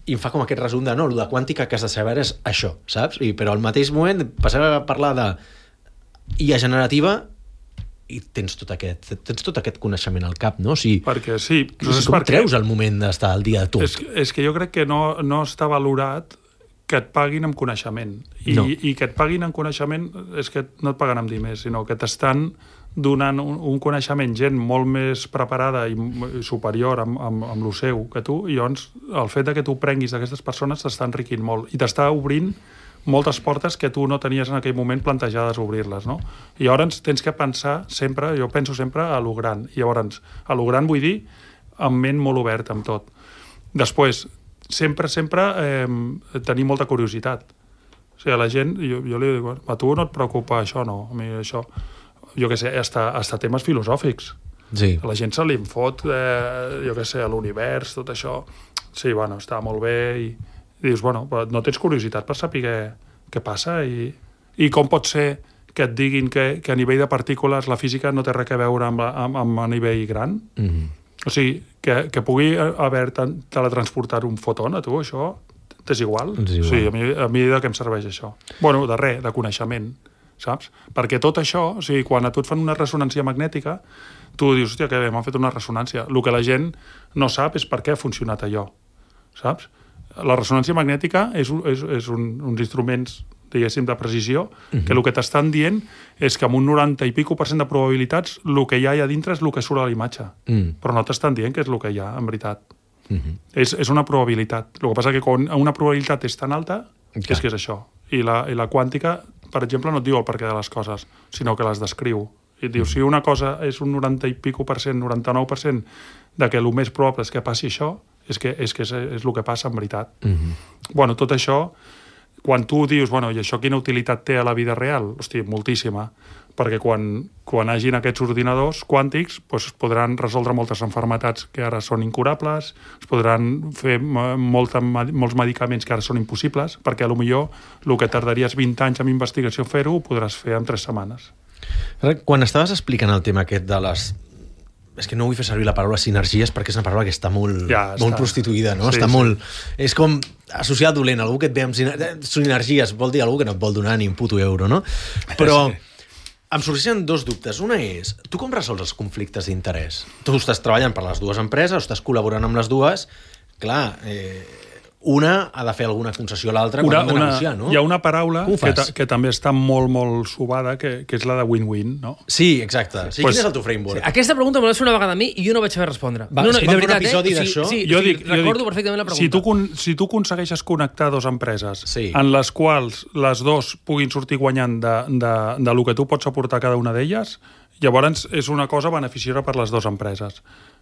i em fa com aquest resum de no, el de quàntica que has de saber és això, saps? I, però al mateix moment passem a parlar de I A generativa i tens tot aquest, tens tot aquest coneixement al cap, no? O sigui, perquè sí. O sigui, com perquè... treus el moment d'estar al dia de tot? És, és que jo crec que no, no està valorat que et paguin amb coneixement. I, no. I que et paguin amb coneixement és que no et paguen amb diners, sinó que t'estan donant un, un coneixement gent molt més preparada i superior amb, amb, amb el seu que tu, i llavors el fet de que tu prenguis d'aquestes persones t'està enriquint molt i t'està obrint moltes portes que tu no tenies en aquell moment plantejades obrir-les, no? I llavors tens que pensar sempre, jo penso sempre a lo gran, i llavors a lo gran vull dir amb ment molt obert amb tot. Després, sempre, sempre eh, tenir molta curiositat. O sigui, a la gent, jo, jo li dic, a tu no et preocupa això, no? A mi això... Jo què sé, hasta, hasta temes filosòfics. Sí. A la gent se li en fot, eh, jo què sé, a l'univers, tot això. Sí, bueno, està molt bé i, i dius, bueno, no tens curiositat per saber què, què passa i, i com pot ser que et diguin que, que a nivell de partícules la física no té res a veure amb, amb, amb a nivell gran? Mm-hmm. O sigui, que, que pugui haver teletransportat un foton a tu, això t'és igual? És igual. O sigui, a mi, a mi de què em serveix això? Bueno, de res, de coneixement, saps? Perquè tot això, o sigui, quan a tu et fan una ressonància magnètica, tu dius, hòstia, que bé, m'han fet una ressonància. El que la gent no sap és per què ha funcionat allò, saps? La ressonància magnètica és, és, és un, uns instruments, diguéssim, de precisió, uh-huh. que el que t'estan dient és que amb un noranta i pico per cent de probabilitats el que hi ha allà dintre és el que surt a la imatge. Uh-huh. Però no t'estan dient que és el que hi ha, en veritat. Uh-huh. És, és una probabilitat. El que passa que quan una probabilitat és tan alta, okay. és que és això. I la, i la quàntica, per exemple, no et diu el perquè de les coses, sinó que les descriu. I et diu, si una cosa és un noranta i pico per cent, noranta-nou per cent, de que el més probable és que passi això, és que és, que és, és el que passa en veritat. Uh-huh. Bueno, tot això, quan tu dius, bueno, i això quina utilitat té a la vida real? Hosti, moltíssima. Perquè quan, quan hagin aquests ordinadors quàntics doncs es podran resoldre moltes malalties que ara són incurables, es podran fer molta, molts medicaments que ara són impossibles, perquè potser el que tardaries vint anys en investigació fer-ho ho podràs fer en tres setmanes. Quan estaves explicant el tema aquest de les... És que no vull fer servir la paraula sinergies perquè és una paraula que està molt, ja, molt està. prostituïda, no? Sí, està sí. molt... És com associat dolent, algú que et ve amb sinergies, vol dir algú que no et vol donar ni un puto euro, no? Però... Sí. Em sorgeixen dos dubtes. Una és, tu com resols els conflictes d'interès? Tu estàs treballant per les dues empreses, estàs col·laborant amb les dues, clar, eh, una ha de fer alguna concessió a l'altra quan hem de negociar, no? Hi ha una paraula que, ta, que també està molt, molt subada, que, que és la de win-win, no? Sí, exacte. Sí, pues, quin és el teu framework? Sí, aquesta pregunta me l'has fet una vegada a mi i jo no vaig saber respondre. Va, no, no, i de veritat, un episodi eh? d'això? Sí, sí, jo sí, dic, recordo jo dic, perfectament la pregunta. Si tu, si tu aconsegueixes connectar dues empreses sí. en les quals les dues puguin sortir guanyant de, de, de lo que tu pots aportar cada una d'elles, llavors és una cosa beneficiosa per les dues empreses.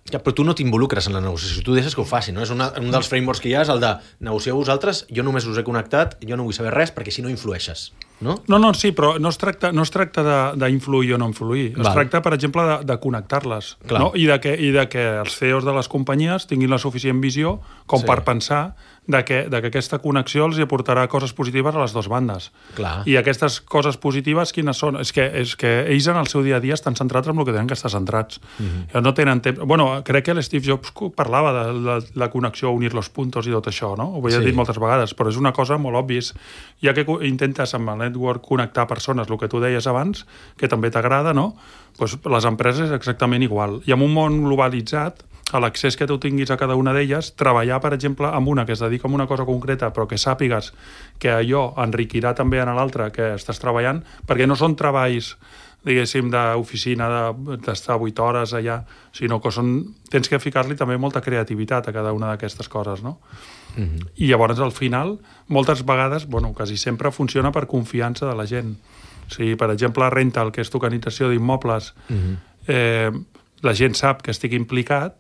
Ja, però tu no t'involucres en la negociació, tu deixes que ho faci, no? És una, un dels frameworks que hi ha és el de negocieu vosaltres, jo només us he connectat, jo no vull saber res perquè si no influeixes, no? No, no, sí, però no es tracta, no es tracta d'influir o no influir, es Val. tracta, per exemple, de, de connectar-les, no? I de, que, i de que els C E Os de les companyies tinguin la suficient visió com sí. per pensar de que, de que aquesta connexió els aportarà coses positives a les dues bandes. Clar. I aquestes coses positives, quines són? És que, és que ells en el seu dia a dia estan centrats en el que tenen que estar centrats. Mm-hmm. No tenen temps... Bueno, crec que l'Steve Jobs parlava de la, la connexió, unir los puntos i tot això, no? Ho havia sí. dit moltes vegades, però és una cosa molt òbvia. Ja que intentes amb el network connectar persones, el que tu deies abans, que també t'agrada, no? Pues les empreses és exactament igual. I en un món globalitzat, a l'accés que tu tinguis a cada una d'elles, treballar, per exemple, amb una que es dedica a una cosa concreta, però que sàpigues que allò enriquirà també en l'altra que estàs treballant, perquè no són treballs, diguéssim, d'oficina, d'estar vuit hores allà, sinó que són, tens que ficar-li també molta creativitat a cada una d'aquestes coses, no? Mm-hmm. I llavors, al final, moltes vegades, bueno, quasi sempre funciona per confiança de la gent. O sigui, per exemple, Rental, que és tokenització d'immobles, mm-hmm. eh, la gent sap que estic implicat,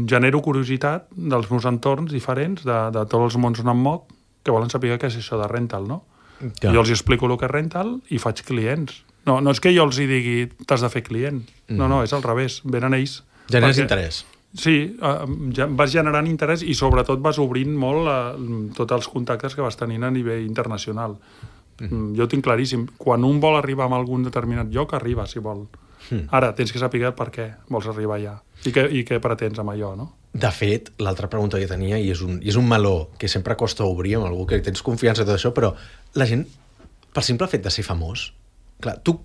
genero curiositat dels meus entorns diferents, de, de tots els mons on em moc, que volen saber què és això de Rental, no? Ja. Jo els explico el que és Rental i faig clients. No, no és que jo els hi digui t'has de fer client. Mm. No, no, és al revés. Venen ells. Generes perquè, interès. Sí, ja vas generant interès i sobretot vas obrint molt eh, tots els contactes que vas tenint a nivell internacional. Mm. Jo tinc claríssim. Quan un vol arribar a algun determinat lloc, arriba, si vol. Mm. Ara, tens que saber per què vols arribar allà i què, i què pretens amb allò, no? De fet, l'altra pregunta que tenia, i és, un, i és un meló que sempre costa obrir amb algú que tens confiança i tot això, però la gent, pel simple fet de ser famós, clar, tu,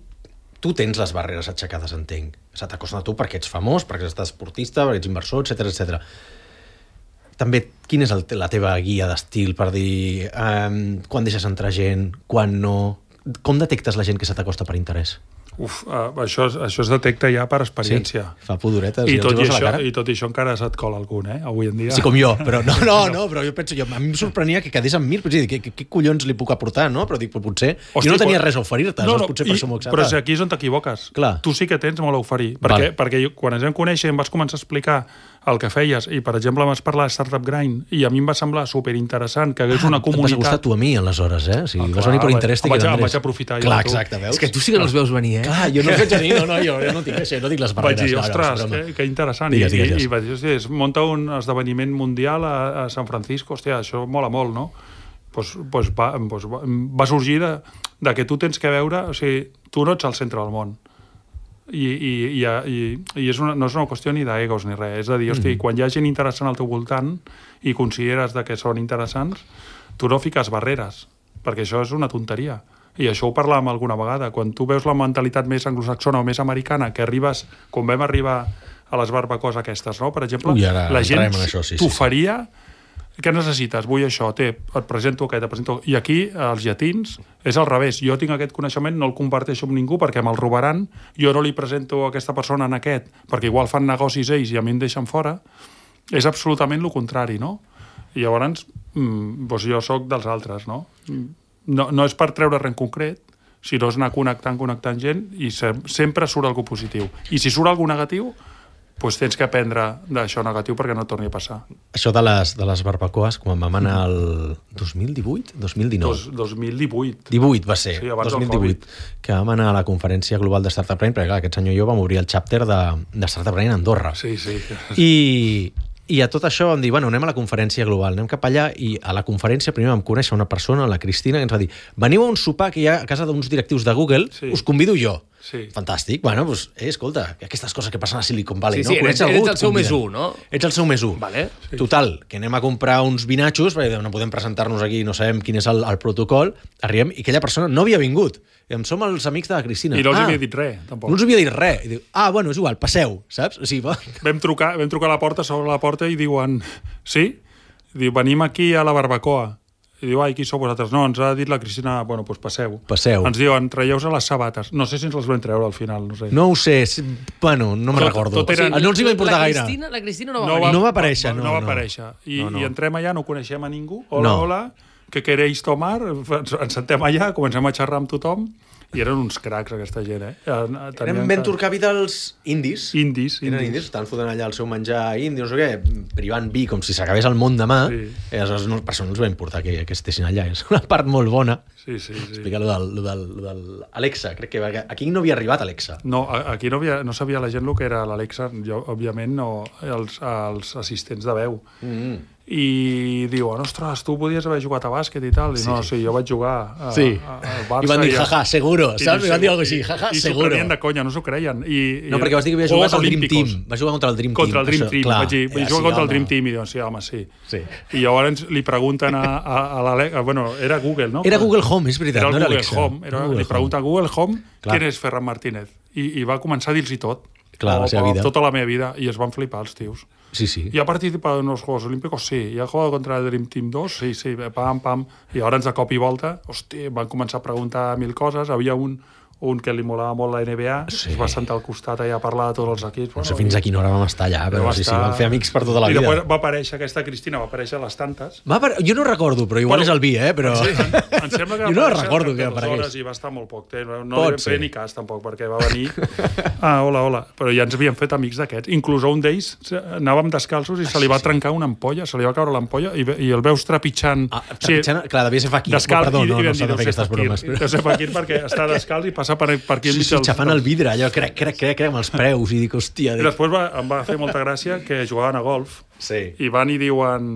tu tens les barreres aixecades, entenc. Se t'acosten a tu perquè ets famós, perquè ets esportista, perquè ets inversor, etcètera, etcètera. També, quina és el, la teva guia d'estil per dir um, quan deixes entrar gent, quan no? Com detectes la gent que se t'acosta per interès? Uf, uh, això, això es detecta ja per experiència. Sí, fa pudoretes I, i tot els i, veus a la això, cara. I tot i això encara se't cola algun, eh? Avui en dia. Sí, com jo, però no, no, no, però jo penso, jo, a mi em sorprenia que quedés amb mi, però dir, què, què, què collons li puc aportar, no? Però dic, però potser, Hosti, jo no tenia quan... res a oferir-te, no, no, no, potser i, per això m'ho accepta. Però si aquí és on t'equivoques. Clar. Tu sí que tens molt a oferir. Perquè, Val. perquè jo, quan ens vam conèixer em vas començar a explicar el que feies, i per exemple vas parlar de Startup Grind, i a mi em va semblar superinteressant que hagués Ah, una et comunitat... vas gustar tu a mi, aleshores, eh? O sigui, Ah, vas clar, venir per vaig- interès. vaig- em vaig aprofitar jo Clar, de tu. exacte, veus? És que tu sí que no els veus venir, eh? Clar, jo no els veig venir, no, no, jo, jo no tinc això, no tinc les Vaig barreres. dir, no, no, ostres, és broma. que, que interessant. Digues, I, digues, i, digues. i vaig dir, hosti, es munta un esdeveniment mundial a, a San Francisco, hòstia, això mola molt, no? Pues, pues va, pues va, va sorgir de, de que tu tens que veure, o sigui, tu no ets al centre del món. I, i, i, i, i és una, no és una qüestió ni d'egos ni res, és a dir, hosti, mm. quan hi ha gent interessant al teu voltant i consideres de que són interessants, tu no fiques barreres, perquè això és una tonteria. I això ho parlàvem alguna vegada. Quan tu veus la mentalitat més anglosaxona o més americana, que arribes, com vam arribar a les barbacoes aquestes, no? Per exemple, Ui, ara la gent entrarem en això, sí, sí, t'oferia... Què necessites? Vull això, té, et presento aquest, et presento... I aquí, els llatins, és al revés. Jo tinc aquest coneixement, no el comparteixo amb ningú perquè me'l robaran, jo no li presento a aquesta persona en aquest, perquè igual fan negocis ells i a mi em deixen fora. És absolutament el contrari, no? I llavors, mm, doncs jo sóc dels altres, no? No, no és per treure res en concret, sinó és anar connectant, connectant gent, i se, sempre surt algú positiu. I si surt algú negatiu, doncs tens que aprendre d'això negatiu perquè no torni a passar. Això de les, de les barbacoes, quan vam anar el dos mil divuit? dos mil dinou? Dos, dos mil divuit. divuit va ser, Sí, abans dos del mil divuit, que vam anar a la conferència global de Startup Brain, perquè clar, aquest senyor i jo vam obrir el chapter de, de Startup Brain a Andorra. Sí, sí. I, I a tot això vam dir, bueno, anem a la conferència global, anem cap allà, i a la conferència primer vam conèixer una persona, la Cristina, que ens va dir, veniu a un sopar que hi ha a casa d'uns directius de Google, Sí. us convido jo. Sí. Fantàstic. Bueno, doncs, eh, escolta, aquestes coses que passen a Silicon Valley, Sí, no? sí, Coneix eres- algú, eres el et seu conviden. més u, no? Ets el seu més u. Vale. Sí. Total, que anem a comprar uns vinatxos, perquè no podem presentar-nos aquí, no sabem quin és el, el protocol, arribem, i aquella persona no havia vingut. I em som els amics de la Cristina. I no els ah, havia dit res, tampoc. No els havia dit res. I diu, ah, bueno, és igual, passeu, saps? O sigui, va... Vam trucar, vam trucar a la porta, s'obre la porta i diuen, sí? I diu, venim aquí a la barbacoa. I diu, ai, qui sou vosaltres? No, ens ha dit la Cristina, bueno, doncs passeu. Passeu. Ens diuen, traieu-se les sabates. No sé si ens les vam treure al final, no sé. No ho sé, si- bueno, no me'n Tot- recordo. tot eren- O sigui, no els hi va importar la gaire. Cristina, la Cristina no va No venir. No va aparèixer, no, no, no va no. aparèixer. I, No, no. I entrem allà, no coneixem a ningú. Hola, No. hola, què queréis tomar? Ens, ens sentem allà, comencem a xerrar amb tothom, i eren uns cracs, aquesta gent, eh? Eren Tenien ben que- turcavi dels indis. Indis, Eren indis. indis, estaven fotent allà el seu menjar indi, no sé què, privant vi com si s'acabés el món demà. Sí. I aleshores no, per això no els va importar que, que estessin allà. És una part molt bona. Sí, sí, sí. Explica lo del, lo del, lo del Alexa, crec que perquè aquí no havia arribat Alexa. No, a- aquí no, havia, no sabia la gent el que era l'Alexa, jo, òbviament, no, els, els assistents de veu. Mm. I diuen, ostres, tu podies haver jugat a bàsquet i tal. I Sí. no, sí, jo vaig jugar a, Sí. a, a Barça. I van dir, a- jaja, seguro, i saps? I van dir alguna cosa així, i- jaja, i s'ho seguro. prenien de conya, no s'ho creien. I, No, i perquè vas dir que havia Juegos jugat al Dream Olímpicos. Team. Va jugar contra el Dream Contra Team. el Dream això, Team. clar. Vaig dir, Eh, vaig sí, jugar contra el home. Dream Team i diuen, sí, home, sí. Sí. I llavors li pregunten a, a, a l'Alexa, bueno, era Google, no? Era Google Home, és veritat, Era el no era Google Alexa. Home. Era, Google li pregunta a Google Home Clar. quién és Ferran Martínez. I, i va començar a dir-los tot. Clar, la seva vida. Tota la meva vida. I es van flipar els tios. Sí, sí. ¿Y ha participado en los Juegos Olímpicos? Sí. ¿Y ha jugado contra el Dream Team dos? Sí, sí, pam, pam. I llavors de cop i volta, hosti, van començar a preguntar mil coses. Havia un, un que li molava molt la N B A, Sí. es va sentar al costat allà a parlar de tots els equips. No sé fins a quina hora vam estar allà, però va sí, sí, estar- vam fer amics per tota la I vida. després va aparèixer aquesta Cristina, va aparèixer a les tantes. Va per... Jo no recordo, però igual Bueno, és el vi, eh? Però... Sí, em, em sembla que va jo no aparèixer recordo en que dues aparegués. hores i va estar molt poc temps. No Pot li vam ser. fer ni cas, tampoc, perquè va venir... Ah, hola, hola. Però ja ens havíem fet amics d'aquests. Inclús a un d'ells anàvem descalços i se li va trencar una ampolla, se li va caure l'ampolla i, ve- i el veus trepitjant... Ah, trepitjant, clar, devia ser fakir. Descalç, Perdó, i, no, i no vam s'ha de dir, fer aquestes fakir. bromes. Però... Deu ser fakir perquè està descalç i passa per, per aquí Sí, enmig sí, dels- xafant el vidre, allò, crec, crec, crec, crec, amb els preus, i dic, hòstia... I Dic... després va, em va fer molta gràcia que jugaven a golf Sí. i van i diuen...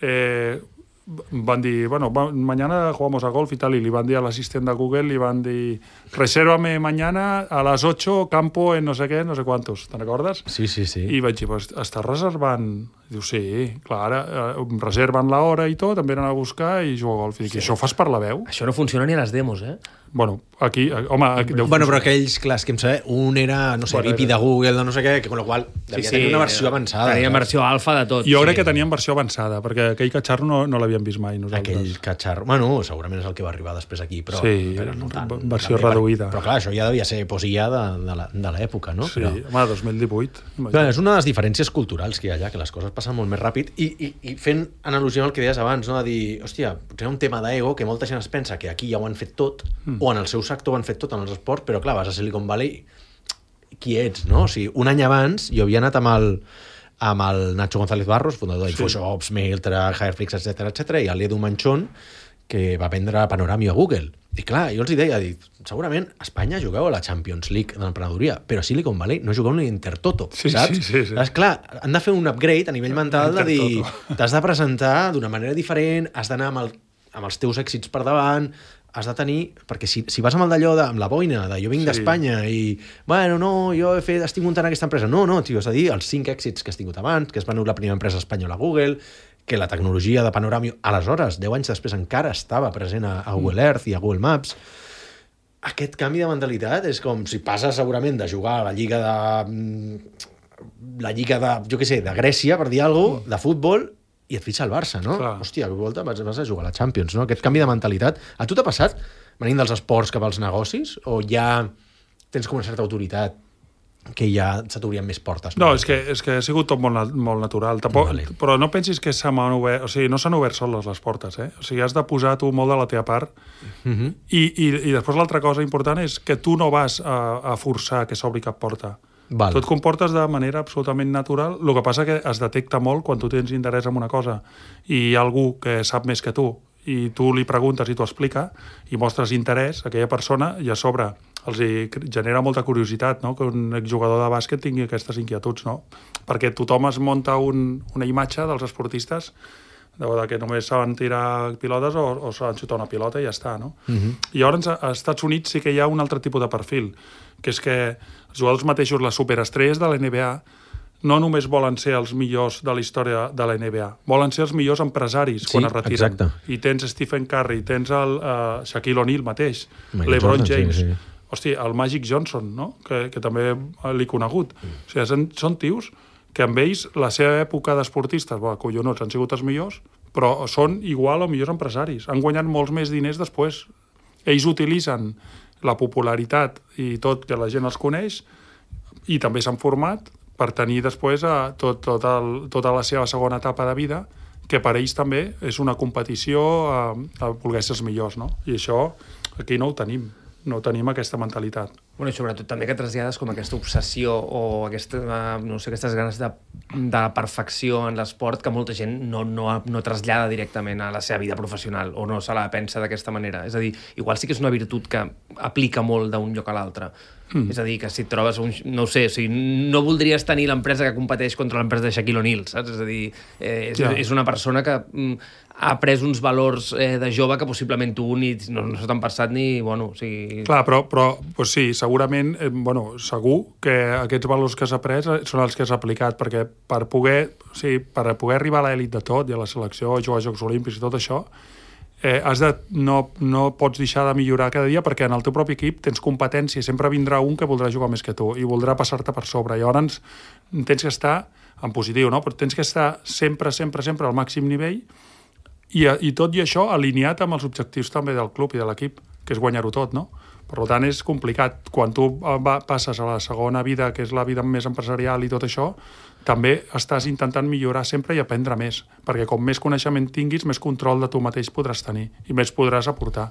Eh, van dir, bueno, va, mañana jugamos a golf y tal, y li van dir a l'assistent de Google, li van dir, resérvame mañana a las ocho, campo en no sé què, no sé quantos, te'n recordes? Sí, sí, sí. I vaig dir, pues, estàs reservant? Diu, sí, clar, ara eh, reserven l'hora i tot, em venen a buscar i jugo a golf. I dic, sí. Això ho fas per la veu? Això no funciona ni a les demos, eh? Bueno, aquí, home... Aquí deu bueno, però aquells, clar, que em saber, un era, no sé, bueno, V P de Google, de no sé què, que con lo qual devia sí, sí, tenir una versió avançada. Tenia versió alfa de tot. Jo sí. crec que tenien versió avançada, perquè aquell catxarro no, no l'havíem vist mai nosaltres. Aquell catxarro... Bueno, segurament és el que va arribar després aquí, però... Sí, però no tant, versió també, reduïda. Però clar, això ja devia ser posia de, de l'època, no? Sí, però... home, dos mil divuit. Clar, és una de les diferències culturals que hi ha allà, que les coses passen molt més ràpid, i, i, i fent analogia amb el que deies abans, no? De dir, hòstia, potser un tema d'ego, que molta gent es pensa que aquí ja ho han fet tot, mm. o en el seu sector ho han fet tot en els esports, però clar, vas a Silicon Valley, qui ets, no? O sigui, un any abans jo havia anat amb el, amb el Nacho González Barros, fundador d'Infoshops, sí. Mailtra, Hireflix, etcètera, etcètera, i l'Edu Manchón, que va vendre Panorami a Google. I clar, jo els hi deia, dic, segurament a Espanya jugueu a la Champions League de l'emprenedoria, però a Silicon Valley no jugueu ni Intertoto, sí, saps? Sí, sí, sí. Saps? Clar, han de fer un upgrade a nivell mental de dir, t'has de presentar d'una manera diferent, has d'anar amb, el, amb els teus èxits per davant, has de tenir... Perquè si, si vas amb el d'allò, de, amb la boina, de jo vinc sí. d'Espanya i, bueno, no, jo he fet, estic muntant aquesta empresa. No, no, tio, has de dir els cinc èxits que has tingut abans, que es venut la primera empresa espanyola a Google, que la tecnologia de Panorami, aleshores, deu anys després, encara estava present a, a Google Earth i a Google Maps. Aquest canvi de mentalitat és com si passes segurament de jugar a la lliga de... la lliga de, jo què sé, de Grècia, per dir alguna cosa, de futbol, i et fitxa el Barça, no? Clar. Hòstia, a volta vas, vas a jugar a la Champions, no? Aquest canvi de mentalitat. A tu t'ha passat venint dels esports cap als negocis? O ja tens com una certa autoritat que ja se t'obrien més portes? No, és que, és que ha sigut tot molt, molt natural. Tampoc, vale. Però no pensis que s'han obert... O sigui, no s'han obert soles les portes, eh? O sigui, has de posar tu molt de la teva part. Uh-huh. I, i, I després l'altra cosa important és que tu no vas a, a forçar que s'obri cap porta. Val. Tu et comportes de manera absolutament natural. El que passa que es detecta molt quan tu tens interès en una cosa i hi ha algú que sap més que tu i tu li preguntes i t'ho explica i mostres interès a aquella persona i a sobre els hi genera molta curiositat, no? Que un exjugador de bàsquet tingui aquestes inquietuds, no? Perquè tothom es munta un, una imatge dels esportistes de que només saben tirar pilotes o, o saben xutar una pilota i ja està, no? Uh-huh. I llavors als Estats Units sí que hi ha un altre tipus de perfil, que és que els jugadors mateixos, les superestrelles de la N B A, no només volen ser els millors de la història de la N B A, volen ser els millors empresaris sí, quan es retiren. Exacte. I tens Stephen Curry, tens el uh, Shaquille O'Neal mateix, Michael LeBron Jordan, James, sí, sí. Hosti, el Magic Johnson, no? que, que també l'he conegut. Mm. O sigui, són, són tios que amb ells, la seva època d'esportistes, bueno, collonots, han sigut els millors, però són igual o millors empresaris. Han guanyat molts més diners després. Ells utilitzen la popularitat i tot, que la gent els coneix, i també s'han format per tenir després a tot, tot el, tota la seva segona etapa de vida, que per ells també és una competició a, a voler ser els millors, no? I això aquí no ho tenim, no tenim aquesta mentalitat. Bueno, i sobretot també que trasllades com aquesta obsessió o aquesta, no sé, aquestes ganes de, de perfecció en l'esport que molta gent no, no, no trasllada directament a la seva vida professional o no se la pensa d'aquesta manera. És a dir, igual sí que és una virtut que aplica molt d'un lloc a l'altre. Mm. És a dir, que si et trobes un... No ho sé, o sigui, no voldries tenir l'empresa que competeix contra l'empresa de Shaquille O'Neal, saps? És a dir, eh, és, ja. és una persona que mm, ha pres uns valors eh, de jove que possiblement tu ni, no, no s'ho t'han passat ni... Bueno, o sigui... Clar, però, però pues sí, segurament, eh, bueno, segur que aquests valors que s'ha pres són els que s'ha aplicat, perquè per poder, o sigui, per poder arribar a l'elit de tot i a la selecció, jugar als Jocs Olímpics i tot això, eh, has de, no, no pots deixar de millorar cada dia perquè en el teu propi equip tens competència, sempre vindrà un que voldrà jugar més que tu i voldrà passar-te per sobre. Llavors tens que estar en positiu, no? Però tens que estar sempre, sempre, sempre al màxim nivell i, i tot i això alineat amb els objectius també del club i de l'equip, que és guanyar-ho tot, no? Per tant, és complicat. Quan tu va, passes a la segona vida, que és la vida més empresarial i tot això, també estàs intentant millorar sempre i aprendre més, perquè com més coneixement tinguis, més control de tu mateix podràs tenir i més podràs aportar.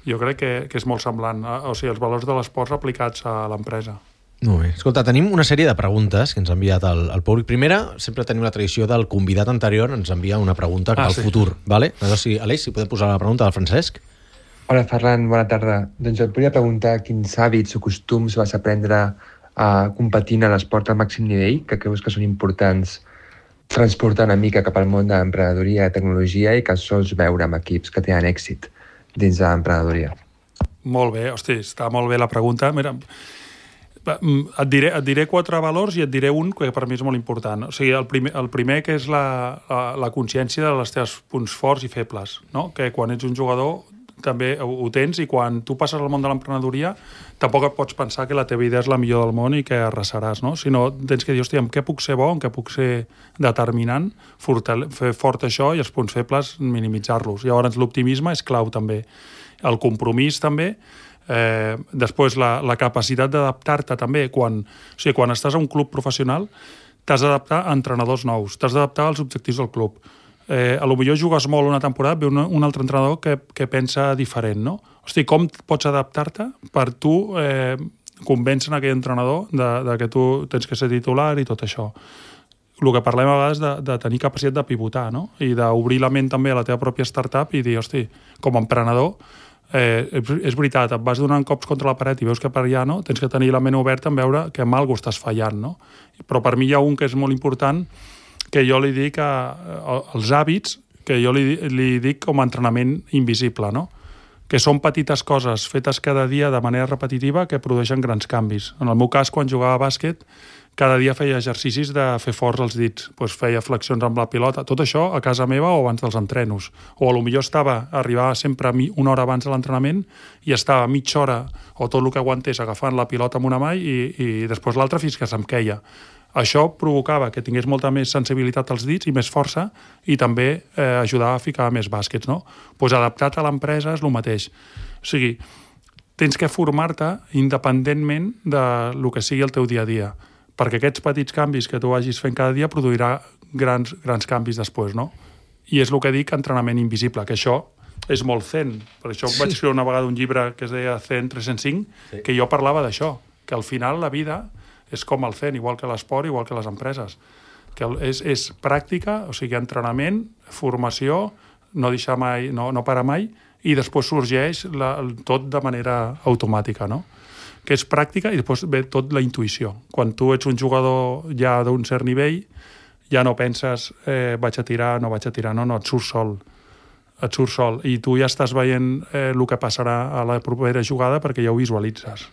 Jo crec que, que és molt semblant, o sigui, els valors de l'esport aplicats a l'empresa. Molt bé. Escolta, tenim una sèrie de preguntes que ens ha enviat el, el públic. Primera, sempre tenim la tradició del convidat anterior, ens envia una pregunta ah, al sí. futur. Vale? Aleshores, si, Aleix, si podem posar la pregunta del Francesc. Hola, Ferran, bona tarda. Doncs et volia preguntar quins hàbits o costums vas aprendre a competint a l'esport al màxim nivell, que creus que són importants transportar una mica cap al món de l'emprenedoria i tecnologia i que sols veure amb equips que tenen èxit dins de l'emprenedoria. Molt bé, hosti, està molt bé la pregunta. Mira, et diré, et diré quatre valors i et diré un que per mi és molt important. O sigui, el primer, el primer que és la, la, la consciència de les teves punts forts i febles, no? Que quan ets un jugador també ho, ho tens, i quan tu passes al món de l'emprenedoria tampoc et pots pensar que la teva idea és la millor del món i que arrasaràs, no? Sinó tens que dir, hòstia, en què puc ser bo, en què puc ser determinant, fortale- fer fort això, i els punts febles minimitzar-los. Llavors l'optimisme és clau també. El compromís també, eh, després la, la capacitat d'adaptar-te també. Quan, o sigui, quan estàs a un club professional t'has d'adaptar a entrenadors nous, t'has d'adaptar als objectius del club. Eh, a lo millor jugues molt una temporada, ve un, un altre entrenador que, que pensa diferent, no? Hosti, com pots adaptar-te per tu eh, convèncer aquell entrenador de, de que tu tens que ser titular i tot això? El que parlem a vegades de, de tenir capacitat de pivotar, no? I d'obrir la ment també a la teva pròpia startup i dir, hosti, com a emprenedor, eh, és, és veritat, et vas donant cops contra la paret i veus que per allà no, tens que tenir la ment oberta en veure que amb alguna cosa estàs fallant, no? Però per mi hi ha un que és molt important, que jo li dic a, a, als hàbits, que jo li, li dic com a entrenament invisible, no? Que són petites coses fetes cada dia de manera repetitiva que produeixen grans canvis. En el meu cas, quan jugava a bàsquet, cada dia feia exercicis de fer forts els dits, doncs feia flexions amb la pilota, tot això a casa meva o abans dels entrenos. O a lo millor estava, arribava sempre una hora abans de l'entrenament i estava mitja hora o tot el que aguantés agafant la pilota amb una mà i, i després l'altra fins que se'm queia. Això provocava que tingués molta més sensibilitat als dits i més força, i també eh, ajudava a ficar més bàsquets, no? Pues adaptat a l'empresa és el mateix. O sigui, tens que formar-te independentment de lo que sigui el teu dia a dia, perquè aquests petits canvis que tu vagis fent cada dia produirà grans, grans canvis després, no? I és el que dic entrenament invisible, que això és molt zen. Per això sí. Vaig escriure una vegada un llibre que es deia Zen tres-cents cinc, sí. Que jo parlava d'això, que al final la vida és com el zen, igual que l'esport, igual que les empreses. Que és, és pràctica, o sigui, entrenament, formació, no deixar mai, no, no parar mai, i després sorgeix la, tot de manera automàtica, no? Que és pràctica i després ve tot la intuïció. Quan tu ets un jugador ja d'un cert nivell, ja no penses eh, vaig a tirar, no vaig a tirar, no, no, et surt sol. Et surt sol. I tu ja estàs veient eh, el que passarà a la propera jugada perquè ja ho visualitzes.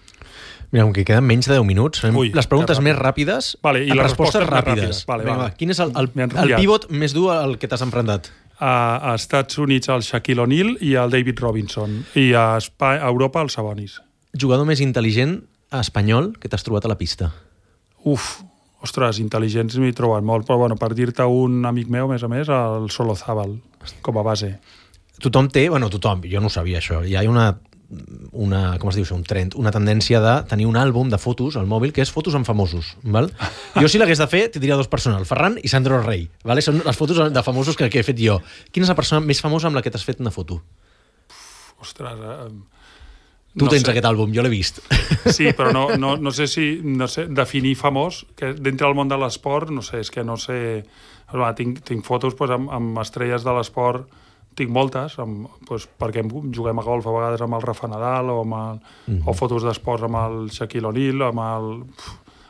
Mira, com que queden menys de deu minuts, Ui, les preguntes més ràpides, vale, i les respostes, respostes ràpides. Vale, Vinga, vale. Quin és el, el, el pivot més dur al que t'has enfrontat? A, a Estats Units el Shaquille O'Neal i el David Robinson, i a, Espa, a Europa el Sabonis. Jugador més intel·ligent espanyol que t'has trobat a la pista? Uf, ostres, intel·ligents m'hi he trobat molt, però bueno, per dir-te un amic meu, a més a més, el Solozábal, com a base. Tothom té, bueno, tothom, jo no ho sabia això, hi ha una una, com es diu això, un trend, una tendència de tenir un àlbum de fotos al mòbil que és fotos amb famosos, val? Jo si l'hagués de fer, tindria dos persones, el Ferran i Sandro Rey, vale? Són les fotos de famosos que, que he fet jo. Quina és la persona més famosa amb la que t'has fet una foto? Ostres, eh... Tu no tens sé. aquest àlbum, jo l'he vist. Sí, però no, no, no sé si no sé, definir famós, que dintre del món de l'esport, no sé, és que no sé... Tinc, tinc fotos pues, amb, amb estrelles de l'esport, tinc moltes, amb, doncs, perquè juguem a golf a vegades amb el Rafa Nadal o, amb el, mm-hmm. o fotos d'esports amb el Shaquille O'Neal, amb el...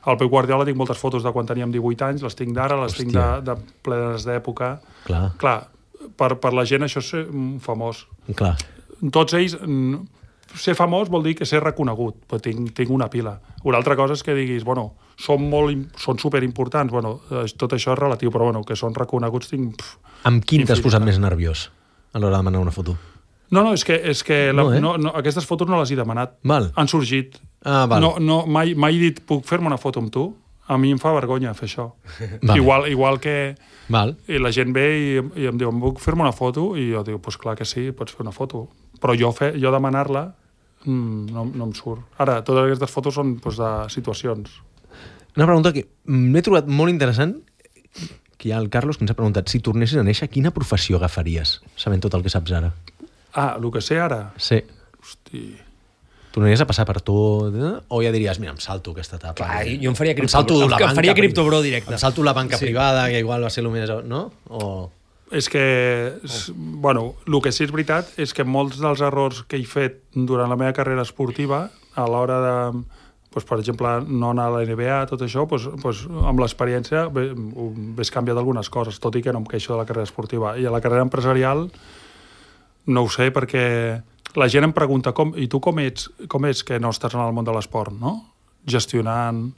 El Pep Guardiola tinc moltes fotos de quan teníem divuit anys, les tinc d'ara, les Hòstia. tinc de, de plenes d'època. Clar. Clar, per, per la gent això és ser famós. Clar. Tots ells... Ser famós vol dir que ser reconegut, però tinc, tinc una pila. Una altra cosa és que diguis, bueno, són, molt, són superimportants, bueno, tot això és relatiu, però bueno, que són reconeguts tinc... Pff, amb quin t'has posat més nerviós a l'hora de demanar una foto? No, no, és que, és que la, no, eh? no, no, aquestes fotos no les he demanat. Val. Han sorgit. Ah, val. No, no, mai, mai he dit, puc fer-me una foto amb tu? A mi em fa vergonya fer això. Vale. Igual, igual que... Val. I la gent ve i, i em diu, puc fer-me una foto? I jo dic, pues clar que sí, pots fer una foto. Però jo, fe, jo demanar-la mm, no, no em surt. Ara, totes aquestes fotos són pues, de situacions. Una pregunta que m'he trobat molt interessant, que hi ha el Carlos que ens ha preguntat, si tornessis a néixer, quina professió agafaries, sabent tot el que saps ara? Ah, el que sé ara? Sí. Hosti... Tornaries a passar per tot, eh? O ja diries, mira, em salto aquesta etapa. Clar, jo em faria cripto, em salto em, la em banca, faria criptobro directe. Em salto la banca sí. privada, que igual va ser el més... No? O... És que, oh. bueno, el que sí és veritat és que molts dels errors que he fet durant la meva carrera esportiva, a l'hora de Pues, per exemple, no anar a la N B A, tot això, pues, pues, amb l'experiència ves canviat algunes coses, tot i que no em queixo de la carrera esportiva. I a la carrera empresarial no ho sé, perquè la gent em pregunta com, i tu com ets, com és que no estàs en el món de l'esport, no? Gestionant...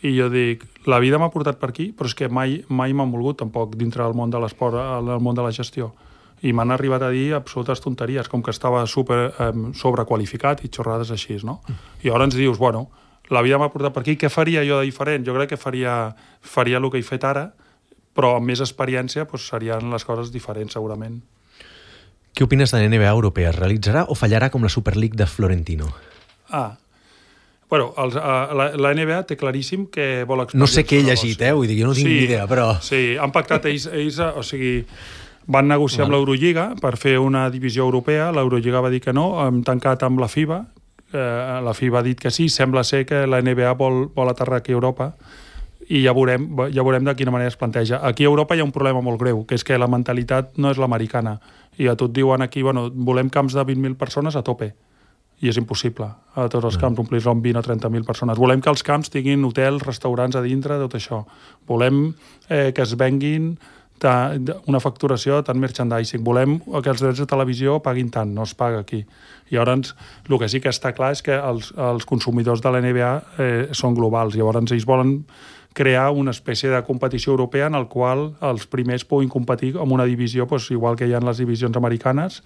I jo dic, la vida m'ha portat per aquí, però és que mai, mai m'han volgut tampoc dintre del món de l'esport, al món de la gestió. I m'han arribat a dir absolutes tonteries, com que estava super eh, sobrequalificat i xorrades així, no? I llavors ens dius, bueno, la vida m'ha portat per aquí, què faria jo de diferent? Jo crec que faria, faria el que he fet ara, però amb més experiència doncs, serien les coses diferents, segurament. Què opines de la N B A europea? Es realitzarà o fallarà com la Super League de Florentino? Ah, bueno, els, uh, la, la N B A té claríssim que vol expandir... No sé què he llegit, eh? Vull dir, jo no tinc sí, ni idea, però... Sí, han pactat ells, ells o sigui, van negociar amb l'Eurolliga per fer una divisió europea, l'Eurolliga va dir que no, hem tancat amb la FIBA, eh, la FIBA ha dit que sí, sembla ser que la N B A vol, vol aterrar aquí a Europa, i ja veurem, ja veurem de quina manera es planteja. Aquí a Europa hi ha un problema molt greu, que és que la mentalitat no és l'americana, i a tu et diuen aquí, bueno, volem camps de vint mil persones a tope, i és impossible a tots els camps omplir-los amb vint o trenta mil persones. Volem que els camps tinguin hotels, restaurants a dintre, tot això. Volem eh, que es venguin ta, una facturació tant merchandising. Volem que els drets de televisió paguin tant, no es paga aquí. I llavors, el que sí que està clar és que els, els consumidors de la N B A eh, són globals. Llavors, ells volen crear una espècie de competició europea en el qual els primers puguin competir amb una divisió, doncs, igual que hi ha les divisions americanes,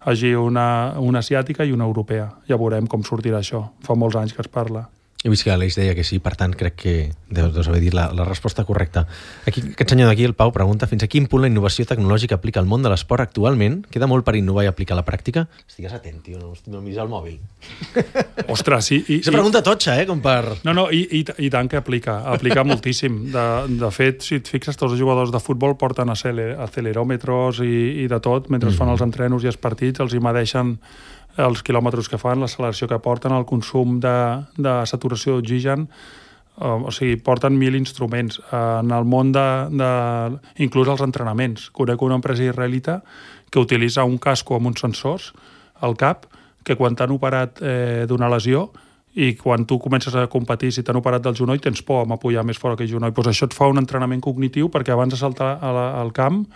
hagi una, una asiàtica i una europea. Ja veurem com sortirà això. Fa molts anys que es parla. He vist que l'Aleix deia que sí, per tant, crec que deus, deus haver dit la, la resposta correcta. Aquí, aquest senyor d'aquí, el Pau, pregunta fins a quin punt la innovació tecnològica aplica al món de l'esport actualment. Queda molt per innovar i aplicar a la pràctica? Estigues atent, tio, no, no miris el mòbil. Ostres, sí. I, és una pregunta totxa, eh, com per... No, no, i, i, i tant que aplica. Aplica moltíssim. De, de fet, si et fixes, tots els jugadors de futbol porten acceleròmetres i, i de tot, mentre mm. fan els entrenos i els partits, els hi medeixen els quilòmetres que fan, l'acceleració que porten, el consum de, de saturació d'oxigen, o sigui, porten mil instruments. En el món de, de... inclús els entrenaments. Conec una empresa israelita que utilitza un casco amb uns sensors al cap, que quan t'han operat eh, d'una lesió i quan tu comences a competir, si t'han operat del genoll, tens por a apoyar més fort aquell genoll. Pues això et fa un entrenament cognitiu perquè abans de saltar al camp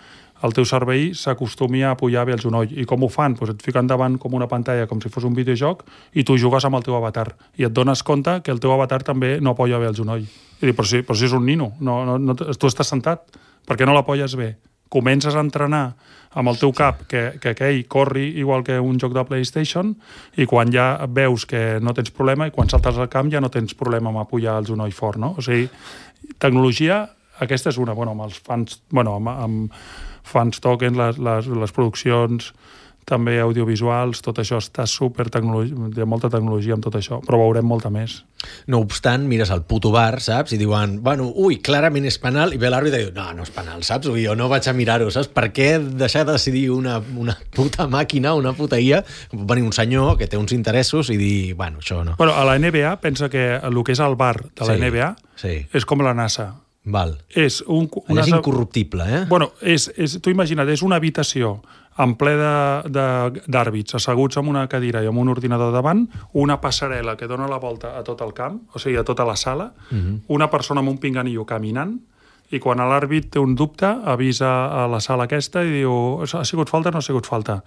el teu cervell s'acostumi a apoyar bé el genoll. I com ho fan? Pues et fiquen davant com una pantalla, com si fos un videojoc, i tu jugues amb el teu avatar. I et dones compte que el teu avatar també no apoya bé el genoll. I dic, però si, però si és un nino, no, no, no, tu estàs sentat, per què no l'apoyes bé? Comences a entrenar amb el teu cap que, que aquell corri igual que un joc de PlayStation, i quan ja veus que no tens problema, i quan saltes al camp ja no tens problema amb apoyar el genoll fort, no? O sigui, tecnologia, aquesta és una, bueno, amb els fans, bueno, amb, amb fans token, les, les, les produccions també audiovisuals, tot això està super tecnologia, hi ha molta tecnologia amb tot això, però veurem molta més. No obstant, mires al puto bar, saps? I diuen, bueno, ui, clarament és penal, i ve l'àrbitre i diu, no, no és penal, saps? Ui, jo no vaig a mirar-ho, saps? Per què deixar de decidir una, una puta màquina, una puta I A? Pot venir un senyor que té uns interessos i dir, bueno, això no. Bueno, a la N B A pensa que el que és el bar de la sí, N B A sí. és com la NASA. Val. És un... Allà és incorruptible, eh? Bueno, és, és, tu imagina't, és una habitació en ple d'àrbits, asseguts en una cadira i amb un ordinador davant, una passarel·la que dona la volta a tot el camp, o sigui, a tota la sala, uh-huh. una persona amb un pinganillo caminant, i quan l'àrbit té un dubte, avisa a la sala aquesta i diu, ha sigut falta o no ha sigut falta?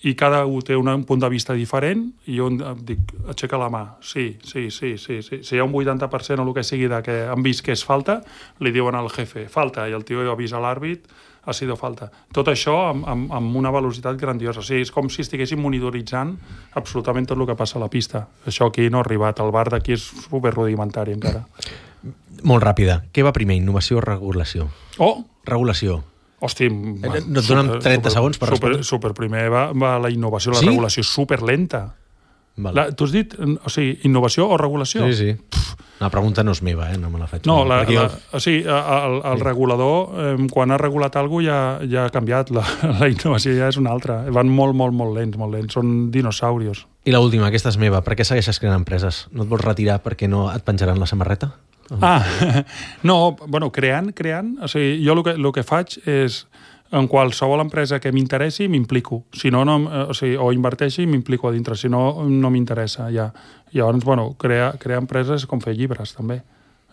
I cada un té un punt de vista diferent, i jo dic, aixeca la mà, sí, sí, sí, sí, sí. Si hi ha un vuitanta per cent o el que sigui de que han vist que és falta, li diuen al jefe, falta, i el tio avisa l'àrbit, ha sido falta. Tot això amb, amb, amb una velocitat grandiosa. O sigui, és com si estiguéssim monitoritzant absolutament tot el que passa a la pista. Això aquí no ha arribat. El bar d'aquí és superrudimentari encara. Molt ràpida. Què va primer, innovació o regulació? Oh! Regulació. Hosti, no et donen trenta super, segons per super, respondre? super primer va, va la innovació, la sí? regulació superlenta. La, tu has dit, o sigui, innovació o regulació? Sí, sí. Pff. La pregunta no és meva, eh? No me la faig. No, la, la, jo... o sigui, el, el sí. regulador, eh, quan ha regulat alguna cosa ja, ja ha canviat, la, la innovació ja és una altra. Van molt, molt, molt lents, molt lents. Són dinosaurios. I l'última, aquesta és meva. Per què segueixes creant empreses? No et vols retirar perquè no et penjaran la samarreta? Ah, no, bueno, creant, creant, o sigui, jo el que, el que faig és en qualsevol empresa que m'interessi m'implico. Si no, no o, sigui, o inverteixi m'implico a dintre, si no, no m'interessa ja. I llavors, bueno, crear, crear empreses com fer llibres, també,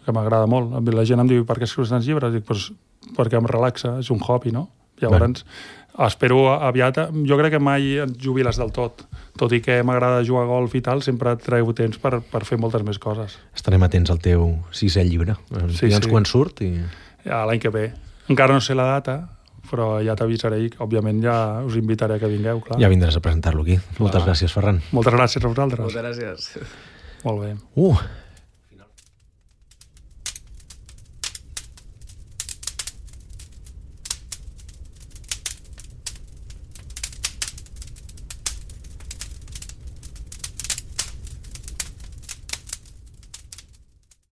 que m'agrada molt. La gent em diu, per què escrius tants llibres? Dic, pues, perquè em relaxa, és un hobby, no? Llavors, bueno. espero aviat... Jo crec que mai et jubiles del tot. Tot i que m'agrada jugar a golf i tal, sempre et treu temps per, per fer moltes més coses. Estarem atents al teu sisè llibre. Sí, ja ens sí. quan surt i... Ja, l'any que ve. Encara no sé la data, però ja t'avisaré i, òbviament, ja us invitaré a que vingueu, clar. Ja vindràs a presentar-lo aquí. Moltes Clar. gràcies, Ferran. Moltes gràcies a vosaltres. Moltes gràcies. Molt bé. Uh,